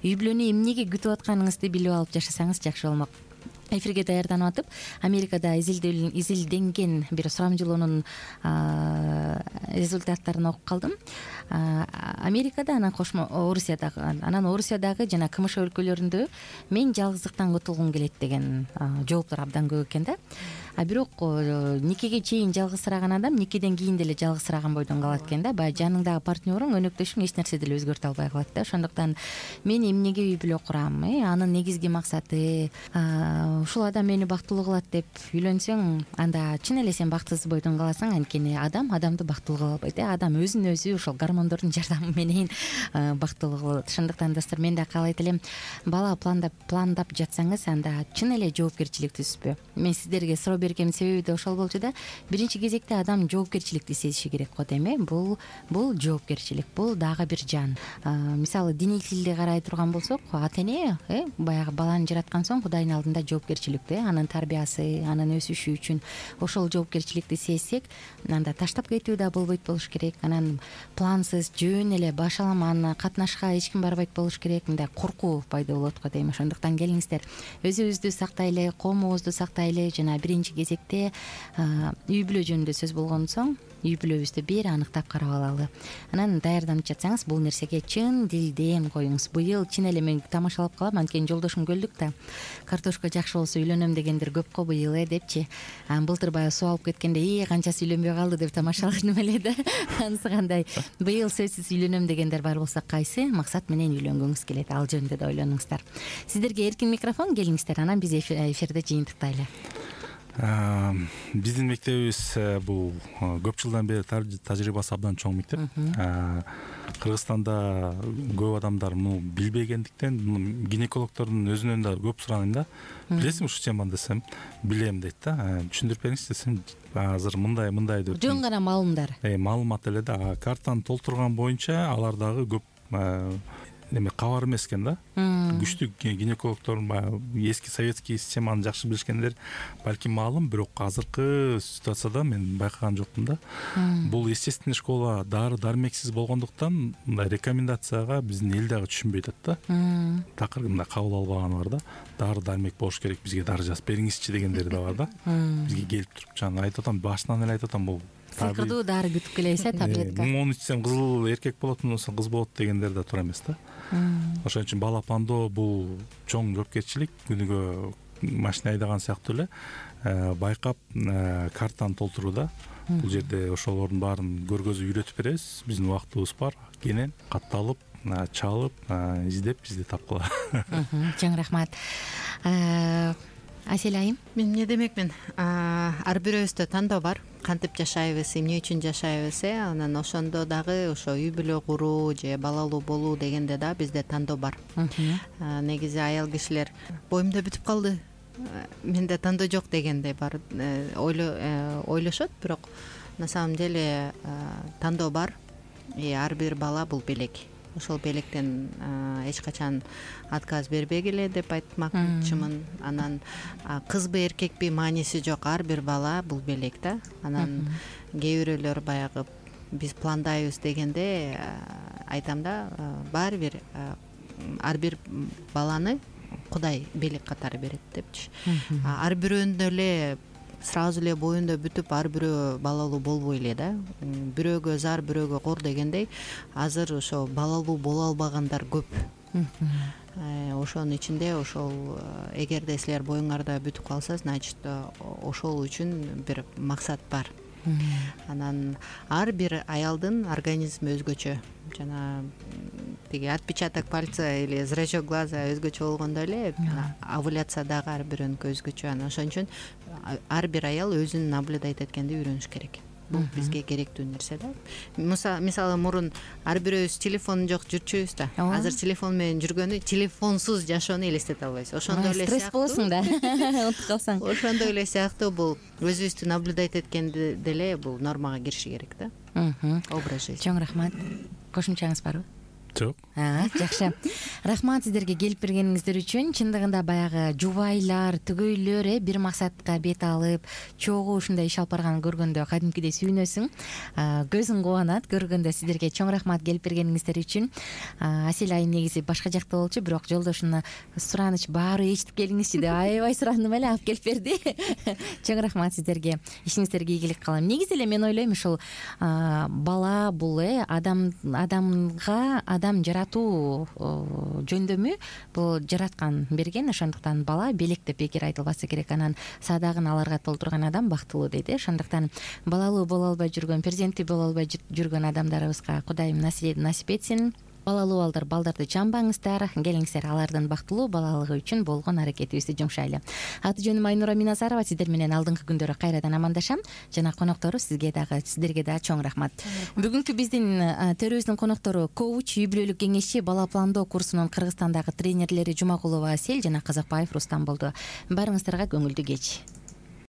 Speaker 2: үй бүлөнү эмнеге күтүп атканыңызды билип алып жашасаңыз жакшы болмок. Эфирге даярданып атып, Америкада изилденген бир сурамжылоонун результаттарын окуп калдым. Америкада, анан кошмо Орусиядагы, анан Орусиядагы жана КМШ өлкөлөрүндө мен жалгыздыктан кутулгум келет деген жооптор абдан көп экен да. А бирок никеге чейин жалгызсыраган адам никеден кийин деле жалгызсыраган бойдон калат экен да. Баягы жаныңдагы партнериң, өнөктөшүң эч нерсе деле өзгөртө албай калат да. Ошондуктан мен эмнеге үй бүлө курам, э, анын негизги максаты, ушул адам мени бактылуу кылат деп үйлөнсөң, анда чын эле сен бактысыз бойдон каласың. Анткени адам адамды бактылуу кыла албайт, э. Адам өзүн өзү ошол гормондордун жардамы менен бактылуу кылат. Ошондуктан достор, мен да каалайт элем, бала пландап пландап жатсаңыз, анда чын эле жоопкерчиликтүүсүзбү? Мен сиздерге суроо бергенин себеби да ошол болчу да. Биринчи кезекте адам жоопкерчиликти сезиши керек го дейм, э. Бул бул жоопкерчилик, бул дагы бир жан. Мисалы, диний тилде карай турган болсок, ата эне, э, баягы баланы жараткан соң Кудайдын алдында жоопкерчиликтүү, э, анын тарбиясы, анын өсүшү үчүн ошол жоопкерчиликти сезсек, анда таштап кетүү да болбойт болуш керек. Анан плансыз жөн эле баш аламан катнашка эч ким барбайт болуш керек. Мындай коркуу пайда болот го дейм. Ошондуктан келиңиздер, өзүбүздү сактайлы, коомубузду сактайлы, жана биринчи кезекте үй бүлө жөнүндө сөз болгон соң үй бүлөбүздү бир аныктап карап алалы. Анан даярданып жатсаңыз, бул нерсеге чын дилден коюңуз. Быйыл чын эле мен тамашалап калам, анткени жолдошум келдик да, картошка жакшы болсо үйлөнөм дегендер көп го быйыл, э, депчи. Былтыр баягы суу алып кеткенде, и канчасы үйлөнбөй калды деп тамашаладым эле да. Анысы кандай? Быйыл сөзсүз үйлөнөм дегендер бар болсо, кайсы максат менен үйлөнгүңүз келет, ал жөнүндө да ойлонуңуздар. Сиздерге эркин микрофон, келиңиздер, анан биз эфирде жыйынтыктайлы.
Speaker 4: Биздин мектебибиз бул көп жылдан бери тажрыйбасы абдан чоң мектеп. Кыргызстанда көп адамдар муну билбегендиктен гинекологдордун өзүнөн да көп суранайм да. Билесиңби ушул теманы десем, билем дейт да. Түшүндүрүп бериңизчи десем, азыр мындай мындай деп.
Speaker 2: Жөн гана маалымдар.
Speaker 4: Э, маалымат эле да. Картаны толтурган боюнча алар дагы көп эме кабар эмес экен да. Күчтүү гинекологдор эски советский системаны жакшы билишкендер балким маалым, бирок азыркы ситуацияда мен байкаган жокмун да. Бул естественный школа дары дармексиз болгондуктан мындай рекомендацияга биздин эл дагы түшүнбөй атат да. Такыр мындай кабыл албаганы бар да. Дары дармек болуш керек, бизге дары жазып бериңизчи дегендери да бар да. Бизге келип туруп жана айтып атам, башынан эле айтып атам, бул
Speaker 2: сыйкырдуу дары күтүп келебиз э, таблетка.
Speaker 4: Муну ичсем кызыл эркек болот, мунусу кыз болот дегендер да туура эмес да. Ошон үчүн бала пландоо бул чоң жоопкерчилик. Күнүгө машина айдаган сыяктуу эле байкап картаны толтурууда. Бул жерде ошолордун баарын көргөзүп үйрөтүп беребиз. Биздин убактыбыз бар, кенен катталып, чалып, издеп бизди тапкыла.
Speaker 2: Чоң рахмат. Асель айым,
Speaker 5: мен эмне демекмин, ар бирөөбүздө тандоо бар. Кантип жашайбыз, эмне үчүн жашайбыз, э анан ошондо дагы ошо үй бүлө куруу же балалуу болуу дегенде да бизде тандоо бар. Негизи аял кишилер боюмда бүтүп калды, менде тандоо жок дегендей бар ойлошот, бирок на самом деле тандоо бар. И ар бир бала бул белек. Ошол белектен эч качан отказ бербегиле деп айтмакчымын. Анан кызбы эркекпи мааниси жок, ар бир бала бул белек да. Анан кээ бирөөлөр баягы биз пландайбыз дегенде айтам да, баары бир ар бир баланы Кудай белек катары берет депчи. Ар бирөөнүн эле сразу эле боюнда бүтүп ар бирөө балалуу болбой эле да. Бирөөгө зар, бирөөгө кор дегендей, азыр ошо балалуу боло албагандар көп. Ошонун ичинде ошол эгерде силер боюңарда бүтүп калса, значит ошол үчүн бир максат бар. Анан ар бир аялдын организми өзгөчө. Жана тиги отпечаток пальца или зрачок глаза өзгөчө болгондой эле овуляция дагы ар бирөөнүкү өзгөчө. Анан ошон үчүн ар бир аял өзүн наблюдать эткенди үйрөнүш керек. Бул бизге керектүү нерсе да. Мисалы мурун ар бирөөбүз телефон жок жүрчүбүз да. Азыр телефон менен жүргөнү, телефонсуз жашоону элестете албайбыз. Ошондой эле
Speaker 2: стресс болосуң да. Унутуп калсаң.
Speaker 5: Ошондой эле сыяктуу бул өзүбүздү наблюдать эткенде деле бул нормага кириши керек да. Образ жизни.
Speaker 2: Чоң рахмат. Кошумчаңыз барбы?
Speaker 4: Жок.
Speaker 2: Жакшы. Рахмат сиздерге келип бергениңиздер үчүн. Чындыгында баягы жубайлар, түгөйлөр э бир максатка бет алып, чогуу ушундай иш алып барганын көргөндө кадимкидей сүйүнөсүң. Көзүң кубанат көргөндө. Сиздерге чоң рахмат келип бергениңиздер үчүн. Асель айым негизи башка жакта болчу, бирок жолдошуна сураныч баары эчитип келиңизчи деп аябай сурандым эле, алып келип берди. Чоң рахмат сиздерге. Ишиңиздерге ийгилик кылам. Негизи эле мен ойлойм, ушул бала бул э адам адамга адам жаратуу жөндөмү бул жараткан берген. Ошондуктан бала белек деп бекер айтылбаса керек. Анан садагын аларга толтурган адам бактылуу дейт. Ошондуктан балалуу боло албай жүргөн, перзенттүү боло албай жүргөн адамдарыбызга Кудайым насип этсин. Балалуу балдар, балдарды чамбаңыздар, келиңиздер алардын бактылуу балалыгы үчүн болгон аракетибизди жумшайлы. Аты жөнүм Айнура Миназарова. Сиздер менен алдыңкы күндөрү кайрадан амандашам. Жана коноктору сизге дагы, сиздерге дагы чоң рахмат. Бүгүнкү биздин төрүбүздүн коноктору коуч, үй бүлөлүк кеңешчи, бала пландоо курсунун Кыргызстандагы тренерлери Жумагулова Асель жана Казакбаев Рустам болду. Баарыңыздарга көңүлдүү кеч.